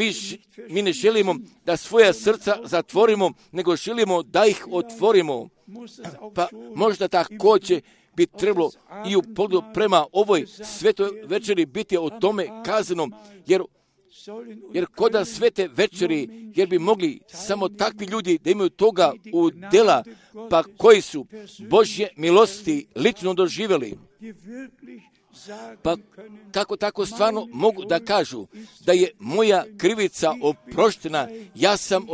mi ne želimo da svoja srca zatvorimo, nego želimo da ih otvorimo, pa možda također bi trebalo i u pogledu prema ovoj svetoj večeri biti o tome kazano, jer Jer koda svete večeri, jer bi mogli samo takvi ljudi da imaju toga u dela, pa koji su Božje milosti lično doživjeli. Pa kako tako stvarno mogu da kažu da je moja krivica oproštena, ja sam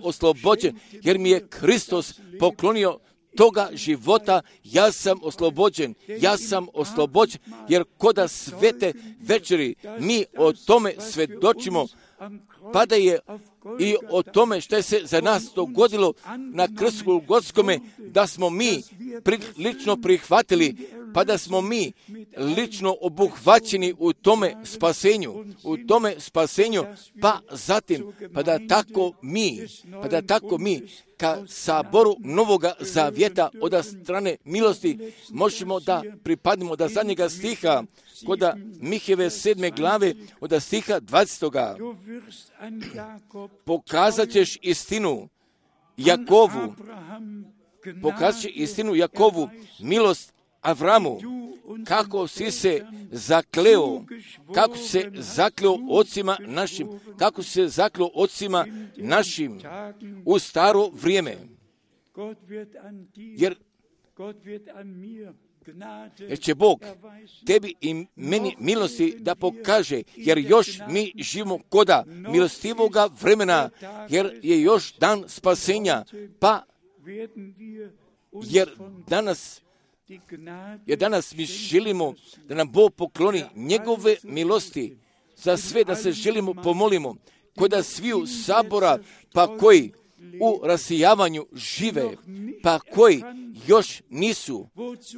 oslobođen, jer mi je Kristus poklonio toga života, ja sam oslobođen, jer koda svete večeri mi o tome svedočimo, pa da je i o tome što je se za nas dogodilo na krstu Golgotskome, da smo mi lično prihvatili, pa da smo mi lično obuhvaćeni u tome spasenju, pa zatim, pa da tako mi ka saboru Novoga Zavjeta od strane milosti možemo da pripadnemo da zadnjega stiha koda Miheve 7. glave od stiha 20. Pokazat ćeš istinu Jakovu, milost Avramu, kako si se zakleo ocima našim u staro vrijeme. Jer će Bog tebi i meni milosti da pokaže, jer još mi živimo koda milostivoga vremena, jer je još dan spasenja, pa jer danas mi želimo da nam Bog pokloni njegove milosti za sve, da se želimo pomolimo koda sviju sabora, pa koji u rasijavanju žive, pa koji još nisu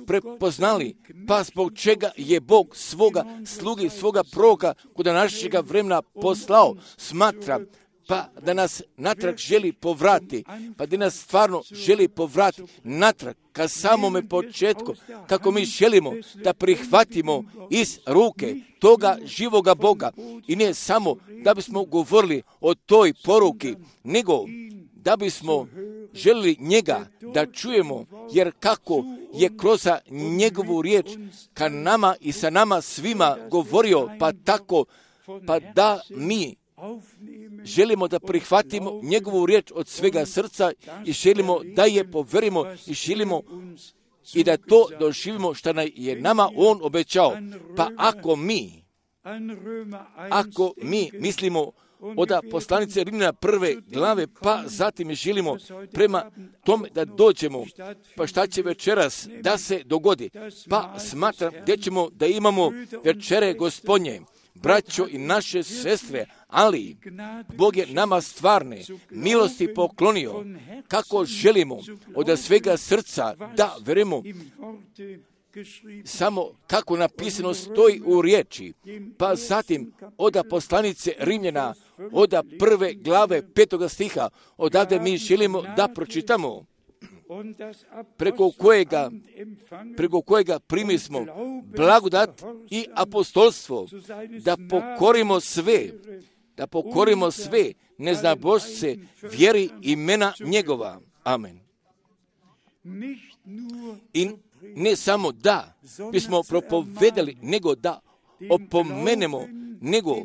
prepoznali, pa zbog čega je Bog svoga slugi, svoga proroka koda našega vremena poslao, smatra, pa da nas natrag želi povrati, pa da nas stvarno želi povrati natrag ka samome početku, kako mi želimo da prihvatimo iz ruke toga živoga Boga. I ne samo da bismo govorili o toj poruki, nego da bismo želili njega da čujemo, jer kako je kroz njegovu riječ ka nama i sa nama svima govorio, pa tako, pa da mi želimo da prihvatimo njegovu riječ od svega srca i želimo da je poverimo i želimo i da to doživimo što je nama on obećao. Pa ako mi mislimo od poslanice Rimljana 1. glave, pa zatim želimo prema tome da dođemo, pa šta će večeras da se dogodi? Pa smatram da ćemo da imamo večere Gospodnje, braćo i naše sestre, ali Bog je nama stvarne milosti poklonio, kako želimo od svega srca da verujemo, samo kako napisano stoji u riječi, pa zatim od poslanice Rimljana, od 1. glave 5. stiha, odavde mi želimo da pročitamo, preko kojega primismo blagodat i apostolstvo, da pokorimo sve neznabošce vjeri imena njegova. Amen. I ne samo da bismo propovedali, nego da opomenemo, nego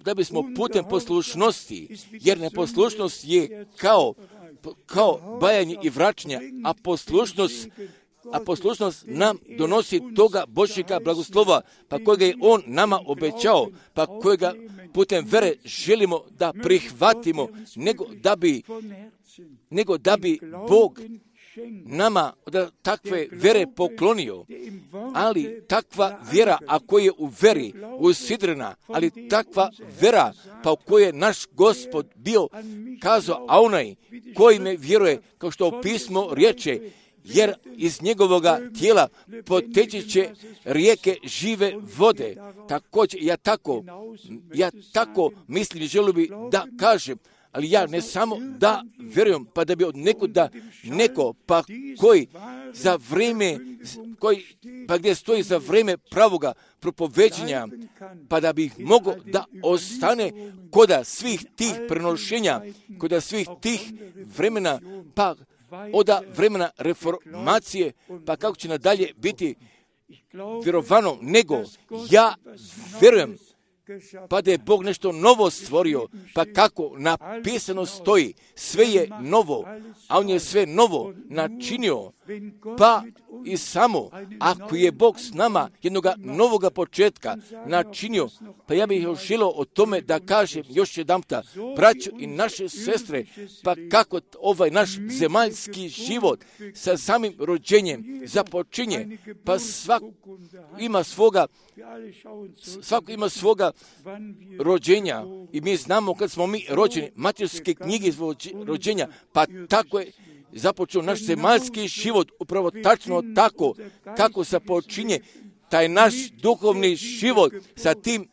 da bismo putem poslušnosti, jer neposlušnost je kao bajanje i vraćanje, a poslušnost nam donosi toga Božjega blagoslova, pa kojega je on nama obećao, pa kojega putem vere želimo da prihvatimo, nego da bi Bog nama da takve vere poklonio, ali takva vjera, ako je u veri usidrena, ali takva vjera, pa u kojoj je naš Gospod bio kazao, a onaj koji me vjeruje, kao što u pismo riječe, jer iz njegovoga tijela poteći će rijeke žive vode. Također, ja tako mislim i želim bi da kažem, ali ja ne samo da vjerujem, pa da bi od neko, pa koji za vrijeme, pa gdje stoji za vrijeme pravoga propoveđenja, pa da bi mogao da ostane koda svih tih prenošenja, koda svih tih vremena, pa od vremena reformacije, pa kako će nadalje biti vjerovano, nego ja vjerujem pa da je Bog nešto novo stvorio, pa kako napisano stoji, sve je novo, a on je sve novo načinio, pa i samo ako je Bog s nama jednoga novoga početka načinio, pa ja bih još želio o tome da kažem još jedanputa, braćo i naše sestre, pa kako ovaj naš zemaljski život sa samim rođenjem započinje, pa svako ima svoga rođenja i mi znamo kad smo mi rođeni, materske knjige rođenja, pa tako je započeo naš zemaljski život, upravo tačno tako kako započinje taj naš duhovni život sa tim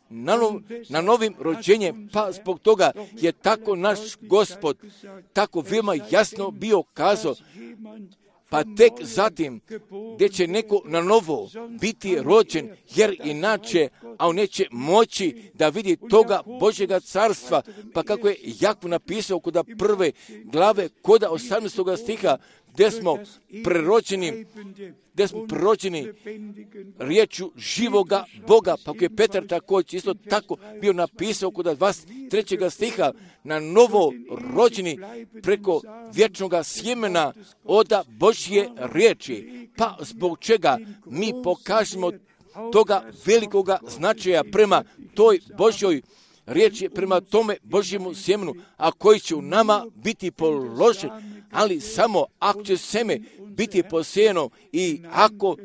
na novim rođenjem, pa zbog toga je tako naš Gospod tako veoma jasno bio kazao, pa tek zatim gdje će neko na novo biti rođen, jer inače, a on neće moći da vidi toga Božjega carstva, pa kako je Jakov napisao kod prve glave, kod 18. stiha, gdje smo prerođeni riječju živoga Boga, pa kako je Petar također isto tako bio napisao kod 23. stiha, na novo rođeni preko vječnog sjemena od Božje riječi, pa zbog čega mi pokažemo toga velikoga značaja prema toj Božjoj riječi, prema tome Božjemu sjemenu, a koji će u nama biti položen, ali samo ako će seme biti posijeno i ako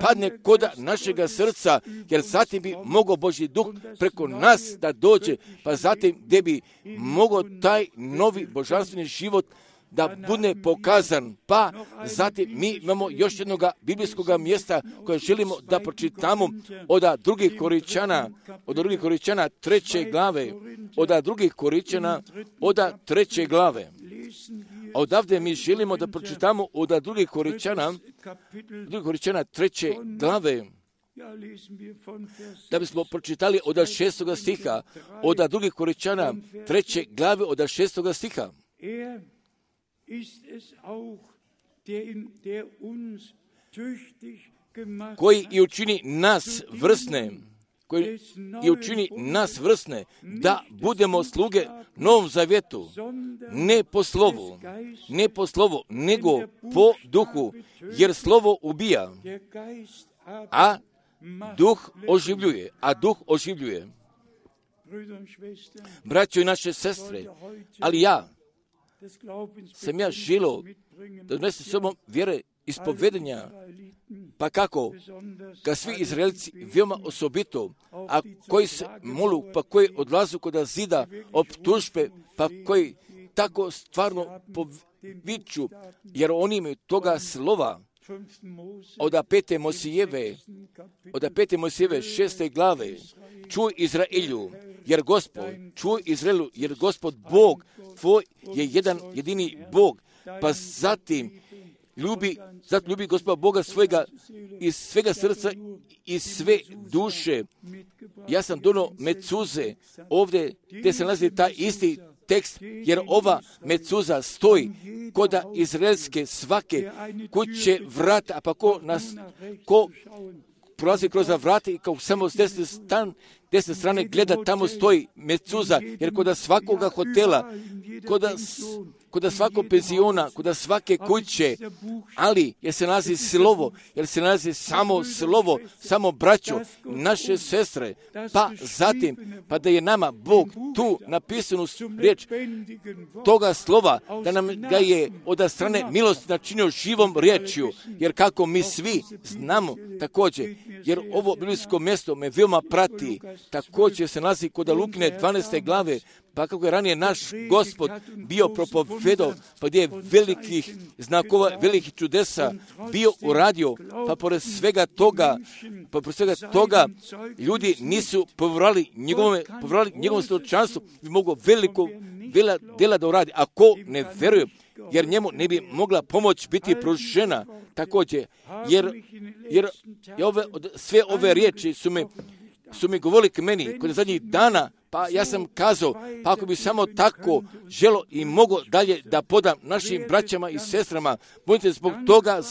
padne kod našega srca, jer zatim bi mogao Božji duh preko nas da dođe, pa zatim gdje bi mogao taj novi božanstveni život da bude pokazan. Pa zatim mi imamo još jednog biblijskog mjesta koje želimo da pročitamo od drugih Koričana 3. glave, od drugih Koričana od 3. glave. Odavde mi želimo da pročitamo od drugih Koričana 3. glave, da bismo pročitali od 6. stiha, od drugih Koričana 3. glave od 6. stiha. Koji i učini nas vrsne, da budemo sluge Novom zavjetu, ne po slovu, nego po duhu, jer slovo ubija, a duh oživljuje. Braćo i naše sestre, ali sam želio da donesem s sobom vjere ispovedenja, pa kako ga svi Izraelci veoma osobito, a koji se molu, pa koji odlazu kod zida optužbe, pa koji tako stvarno poviču, jer oni imaju toga slova od 5. Mosijeve 6. glave. Čuj Izraelu, jer Gospod Bog tvoj je jedan jedini Bog, pa zatim ljubi Gospoda Boga svojega iz svega srca i sve duše. Ja sam donio mecuze ovdje gdje se nalazi taj isti tekst, jer ova mecuza stoji kod izraelske svake kuće vrata, a pa ko prolazi kroz vrata i kao samo s desne strane gleda, tamo stoji mecuza, jer kod svakoga hotela, kod svakog penziona, kod svake kuće, ali jer se nalazi samo slovo, samo braćo, naše sestre, pa zatim, pa da je nama Bog tu napisanu riječ toga slova, da nam ga je od strane milosti načinio živom riječju, jer kako mi svi znamo također, jer ovo biblijsko mjesto me veoma prati, također se nalazi kod Lukine 12. glave, pa kako je ranije naš Gospod bio propovedao, pa gdje je velikih znakova, velikih čudesa bio uradio, pa pored svega toga ljudi nisu povjerali njegovom svjedočanstvu, bi mogao veliko djela da uradi. A ko ne vjeruje, jer njemu ne bi mogla pomoć biti pružena također, jer sve ove riječi su me su mi govorili k meni kod zadnjih dana, pa ja sam kazao, pa ako bi samo tako želo i mogo dalje da podam našim braćama i sestrama, budite zbog toga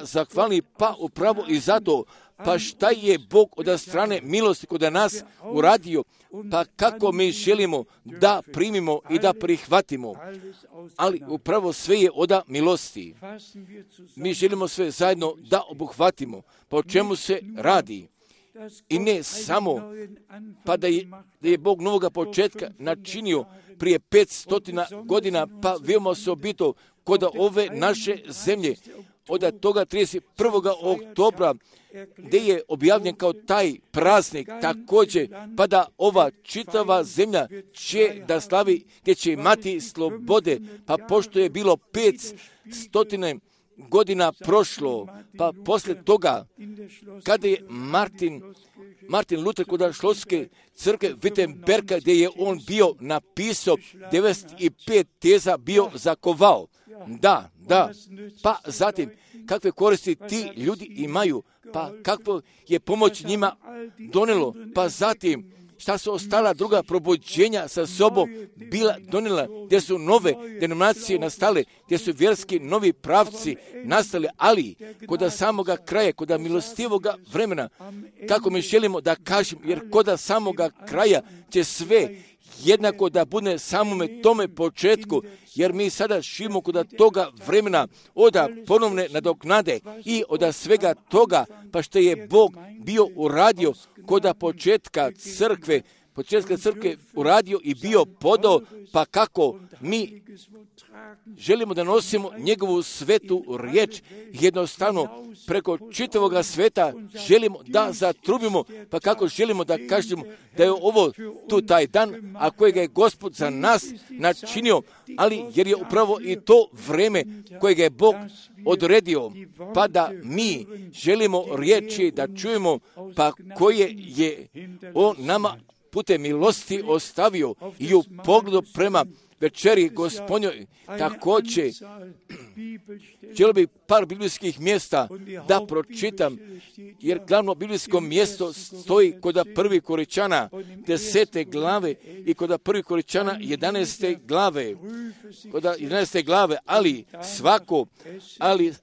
zahvalni, pa upravo i zato, pa šta je Bog od strane milosti kod nas uradio, pa kako mi želimo da primimo i da prihvatimo, ali upravo sve je od milosti. Mi želimo sve zajedno da obuhvatimo, pa o čemu se radi. I ne samo, pa da je Bog novoga početka načinio prije 500 godina, pa veoma osobito kod ove naše zemlje, od toga 31. oktobra, gdje je objavljen kao taj praznik također, pa da ova čitava zemlja će da slavi, gdje će imati slobode, pa pošto je bilo 500 godina prošlo, pa poslije toga, kada je Martin Luther kod šlotske crkve Wittenberga, gdje je on bio napisao 95 teza bio zakovao. Da, pa zatim, kakve koristi ti ljudi imaju, pa kakvo je pomoć njima donelo, pa zatim, šta su ostala druga probuđenja sa sobom bila donijela, gdje su nove denominacije nastale, gdje su vjerski novi pravci nastali, ali kod samoga kraja, kod milostivoga vremena, kako mi želimo da kažem, jer kod samoga kraja će sve jednako da bude samome tome početku, jer mi sada živimo kod toga vremena od ponovne nadoknade i od svega toga, pa što je Bog bio uradio kod početka crkve uradio i bio podao, pa kako mi želimo da nosimo njegovu svetu riječ, jednostavno preko čitavoga sveta želimo da zatrubimo, pa kako želimo da kažemo da je ovo tu taj dan, a kojega je Gospod za nas načinio, ali jer je upravo i to vreme kojega je Bog odredio, pa da mi želimo riječi da čujemo, pa koje je on nama putem milosti ostavio i u pogledu prema večeri Gospodnjoj. Također, želio bih par biblijskih mjesta da pročitam, jer glavno biblijsko mjesto stoji kod 1. Korinćana 10. glave i kod 1. Korinćana 11. glave. Kod 11. glave,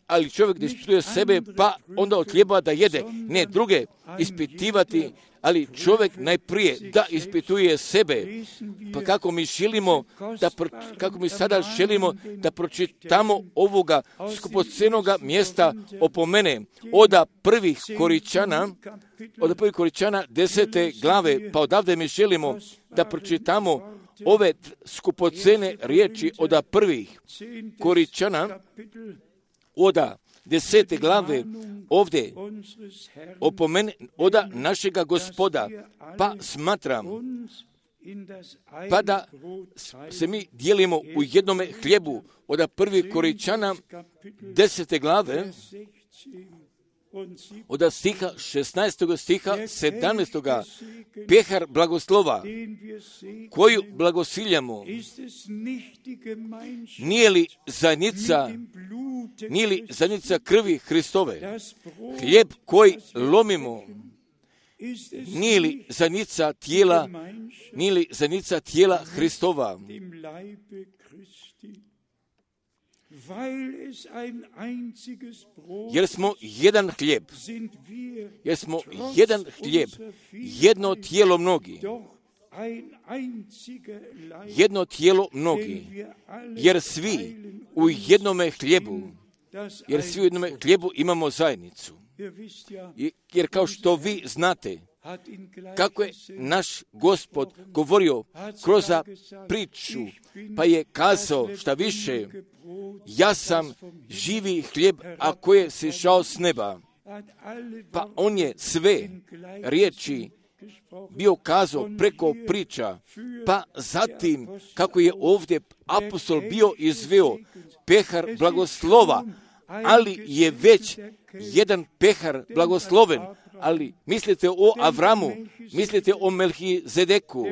ali čovjek da ispituje sebe, pa onda od hljeba da jede, ne druge ispitivati, ali čovjek najprije da ispituje sebe. Pa kako mi sada želimo da pročitamo ovoga skupocenoga mjesta opomene od 1. Korinćana 10. glave, pa odavde mi želimo da pročitamo ove skupocene riječi od 1. Korinćana od 10. glave, ovdje opomene od našega Gospoda, pa smatram, pa da se mi dijelimo u jednome hljebu od 1. Korinćana 10. glave, od stiha 16. stiha 17. pehar blagoslova, koju blagosiljamo, nije li zajednica krvi Hristove, hljeb koji lomimo, nije li zajednica tijela Hristova? Jer smo jedan hljeb, jedno tijelo mnogi, jer svi u jednome hljebu imamo zajednicu. Jer kao što vi znate, kako je naš Gospod govorio kroz priču, pa je kazao šta više, ja sam živi hljeb, a koji je sišao s neba. Pa on je sve riječi bio kazao preko priča, pa zatim kako je ovdje apostol bio izveo pehar blagoslova, ali je već jedan pehar blagosloven, ali mislite o Avramu, mislite o Melhizedeku,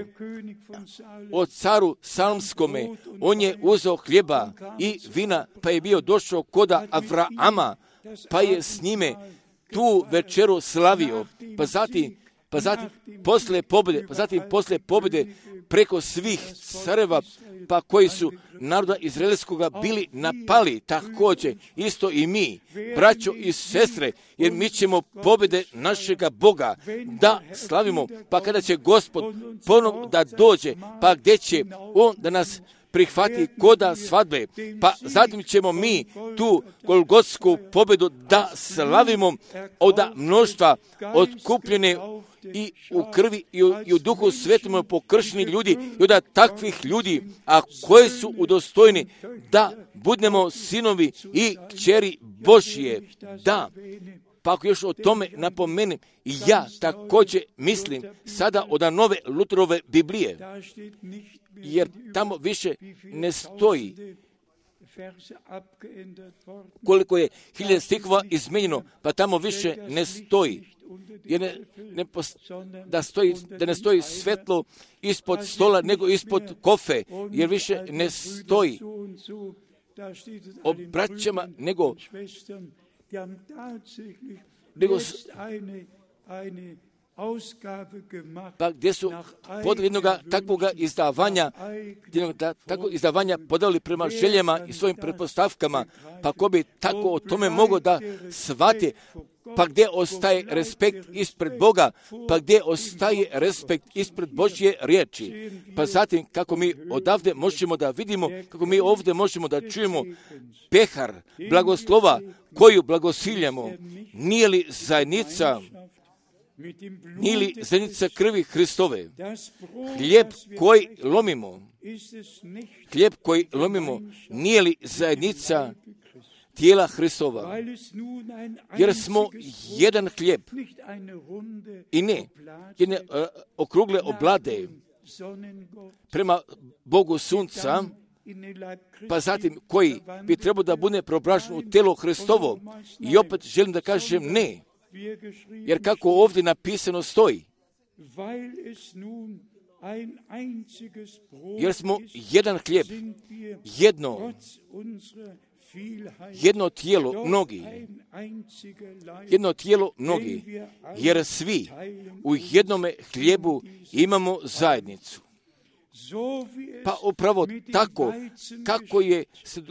o caru Salmskome, on je uzeo hljeba i vina, pa je bio došao kod Avrama, pa je s njime tu večeru slavio, pa zatim posle pobjede preko svih careva, pa koji su naroda izraelskoga bili napali, također isto i mi, braćo i sestre, jer mi ćemo pobjede našega Boga da slavimo, pa kada će Gospod ponovno da dođe, pa gdje će On da nas prihvati koda svadbe, pa zatim ćemo mi tu golgotsku pobjedu da slavimo od mnoštva otkupljene i u krvi i u duhu svetom pokršeni ljudi i od takvih ljudi, a koji su udostojni da budemo sinovi i kćeri Božje. Da, pa ako još o tome napomenem, ja također mislim sada od nove Lutherove Biblije, jer tamo više ne stoji koliko je 1000 stihova izmenjeno, pa tamo više ne stoji. Jer da ne stoji svetlo ispod stola, nego ispod kofe, jer više ne stoji o braćama, nego pa gdje su podali jednog takvog izdavanja podali prema željama i svojim pretpostavkama, pa ko bi tako o tome mogao da shvati, pa gdje ostaje respekt ispred Boga, pa gdje ostaje respekt ispred Božje riječi. Pa zatim kako mi odavde možemo da vidimo, kako mi ovdje možemo da čujemo pehar blagoslova koju blagosiljamo, nije li zajednica krvi Hristove? Hlijeb koji lomimo, nije li zajednica tijela Hristova? Jer smo jedan hlijeb i ne jedne okrugle oblade prema Bogu sunca, pa zatim koji bi trebao da bude preobražen u tijelo Hristovo. I opet želim da kažem ne, jer kako ovdje napisano stoji, jer smo jedan hlijeb, jedno tijelo mnogi, jer svi u jednome hlijebu imamo zajednicu. Pa upravo tako, kako se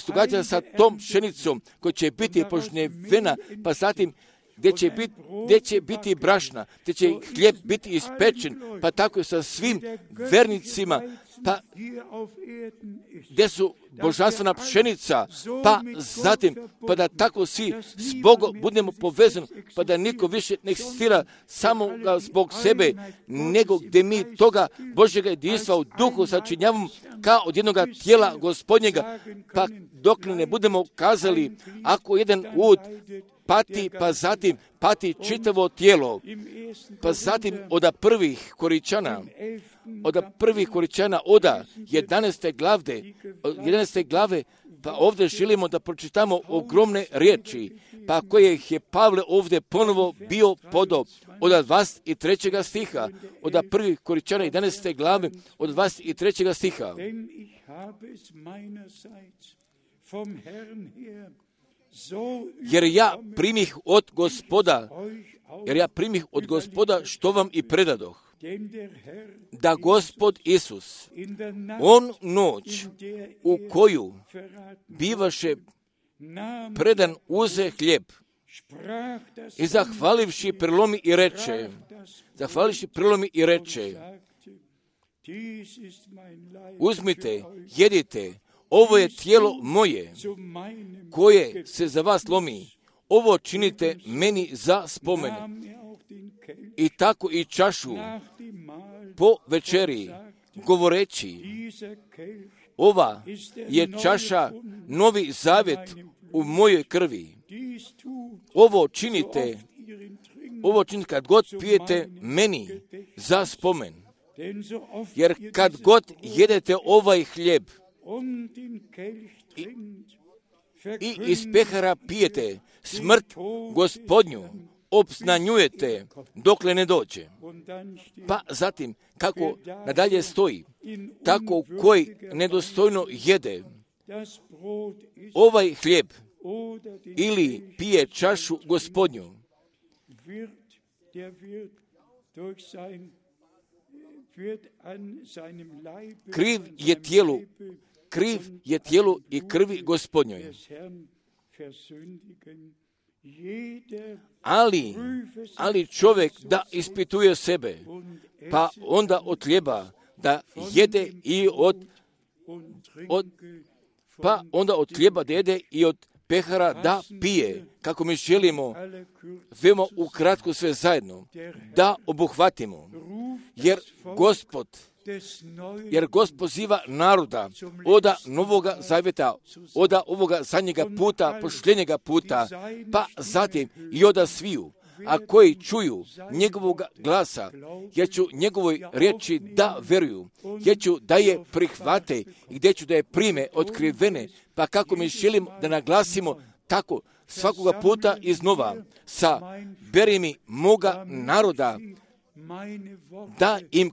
događa sa tom pšenicom koja će biti požnjevena, pa zatim gdje će biti brašna, gdje će hlijeb biti ispečen, pa tako sa svim vernicima, pa gdje su božanstvena pšenica, pa zatim, pa da tako svi s Bogom budemo povezani, pa da niko više ne eksistira samo zbog sebe, nego gdje mi toga Božjega jedinstva u duhu sačinjavamo kao od jednog tijela Gospodnjega, pa dok ne budemo kazali, ako jedan ud pati, pa zatim pati čitavo tijelo, pa zatim od prvih Koričana, od 11. glave, pa ovdje želimo da pročitamo ogromne riječi, pa koje je Pavle ovdje ponovo bio podao od 23. stiha, od 1. Koričana 11. glave, od 23. stiha. Jer ja primih od Gospoda što vam i predadoh, da Gospod Isus, on noć u koju bivaše predan, uze hlijeb i zahvalivši prelomi i reče, uzmite, jedite, ovo je tijelo moje, koje se za vas lomi. Ovo činite meni za spomen. I tako i čašu po večeri, govoreći, ova je čaša novi zavjet u mojoj krvi. Ovo činite kad god pijete meni za spomen. Jer kad god jedete ovaj hlijeb i iz pehara pijete, smrt Gospodnju obznanjujete dokle ne dođe. Pa zatim, kako nadalje stoji, tako koji nedostojno jede ovaj hlijeb ili pije čašu Gospodnju, kriv je tijelu i krvi Gospodnjoj. Ali čovjek da ispituje sebe, pa onda od hljeba da jede i od hljeba da jede i od pehara da pije, kako mi želimo veoma ukratko sve zajedno da obuhvatimo, jer Gospod poziva naroda oda Novoga Zavjeta, oda ovoga zadnjega puta, pošljenjega puta, pa zatim i oda sviju, a koji čuju njegovog glasa, jer ću njegovoj riječi da veruju, jer ću da je prihvate i gdje ću da je prime otkrivene, pa kako mi želim da naglasimo tako svakoga puta iznova, saberi mi moga naroda, da im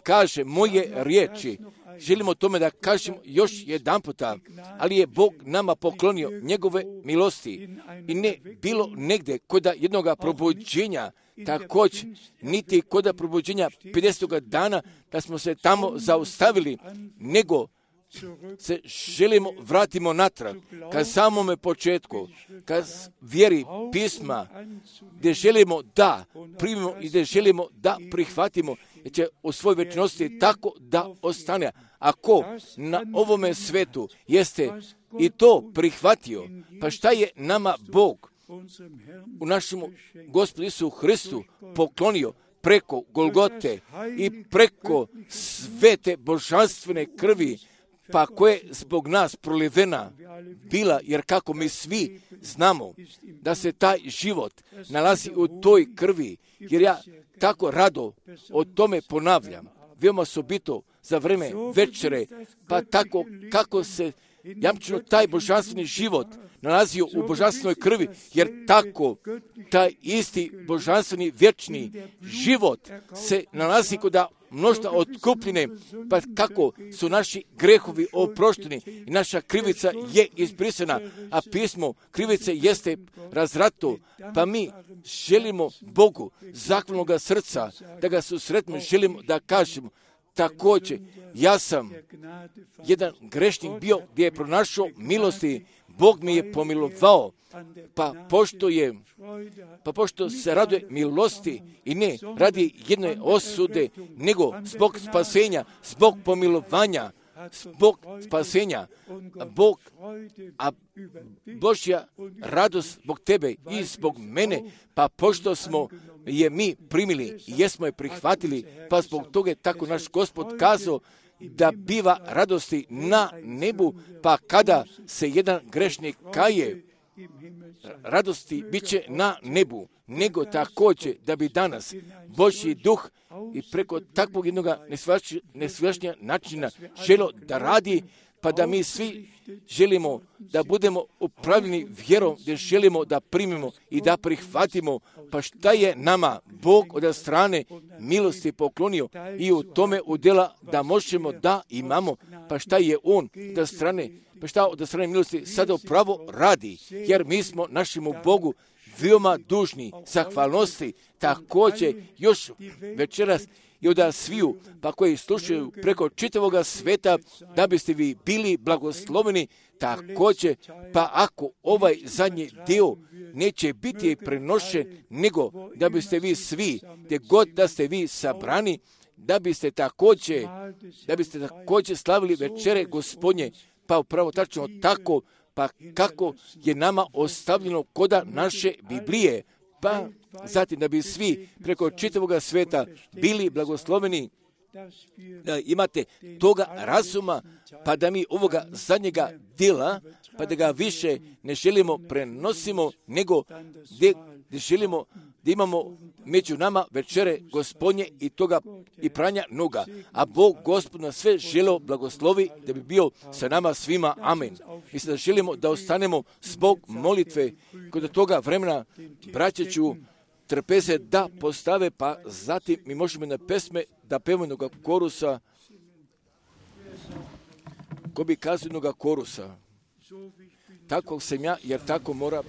kažem moje riječi. Želimo tome da kažem još jedan puta, ali je Bog nama poklonio njegove milosti i ne bilo negdje kod jednoga probuđenja, također niti kod probuđenja 50. dana da smo se tamo zaustavili, nego se želimo vratimo natrag ka samome početku, ka vjeri pisma, gdje želimo da primimo i gdje želimo da prihvatimo, jer će u svojoj večnosti tako da ostane. Ako na ovome svetu jeste i to prihvatio, pa šta je nama Bog u našemu Gospodu Isusu Hristu poklonio preko Golgote i preko svete božanstvene krvi, pa koje zbog nas prolivena bila, jer kako mi svi znamo da se taj život nalazi u toj krvi, jer ja tako rado o tome ponavljam, veoma osobito za vreme večere, pa tako kako se jamčeno taj božanstveni život nalazio u božanstvenoj krvi, jer tako taj isti božanstveni vječni život se nalazi kod mnoštva otkupljene, pa kako su naši grehovi oprošteni i naša krivica je izbrisana, a pismo krivice jeste razrato, pa mi želimo Bogu zahvalnoga srca da ga susretimo, želimo da kažemo također, ja sam jedan grešnik bio gdje je pronašao milosti, Bog mi je pomilovao, pa pošto se raduje milosti i ne radi jedne osude, nego zbog spasenja, zbog pomilovanja, zbog spasenja, Božja radost zbog tebe i zbog mene, pa pošto smo je mi primili i jesmo je prihvatili, pa zbog toga je tako naš Gospod kazao da biva radosti na nebu, pa kada se jedan grešnik kaje, radosti bit će na nebu, nego također da bi danas Božji duh i preko takvog jednog nesvjašnja načina želo da radi, pa da mi svi želimo da budemo upravljeni vjerom, gdje želimo da primimo i da prihvatimo, pa šta je nama Bog od strane milosti poklonio i u tome udjela da možemo da imamo, pa šta je On od strane milosti sada upravo radi, jer mi smo našemu Bogu veoma dužni zahvalnosti, također još večeras i od sviju, pa koji slušaju preko čitavoga sveta, da biste vi bili blagosloveni, također, pa ako ovaj zadnji dio neće biti prenošen, nego da biste vi svi, gdje god da ste vi sabrani, da biste također slavili večere Gospodnje, pa upravo tačno tako, pa kako je nama ostavljeno koda naše Biblije, pa zatim da bi svi preko čitavoga sveta bili blagosloveni, da imate toga razuma, pa da mi ovoga zadnjega djela, pa da ga više ne želimo prenosimo, nego gdje želimo da imamo među nama večere Gospodnje i toga i pranja noga. A Bog Gospod nas sve želeo blagoslovi da bi bio sa nama svima. Amen. Mislim da želimo da ostanemo zbog molitve kod toga vremena. Braće ću trpeze da postave, pa zatim mi možemo na pesme da pevamo jednoga korusa, ko bi kazao jednoga korusa. Takvog sam ja, jer tako mora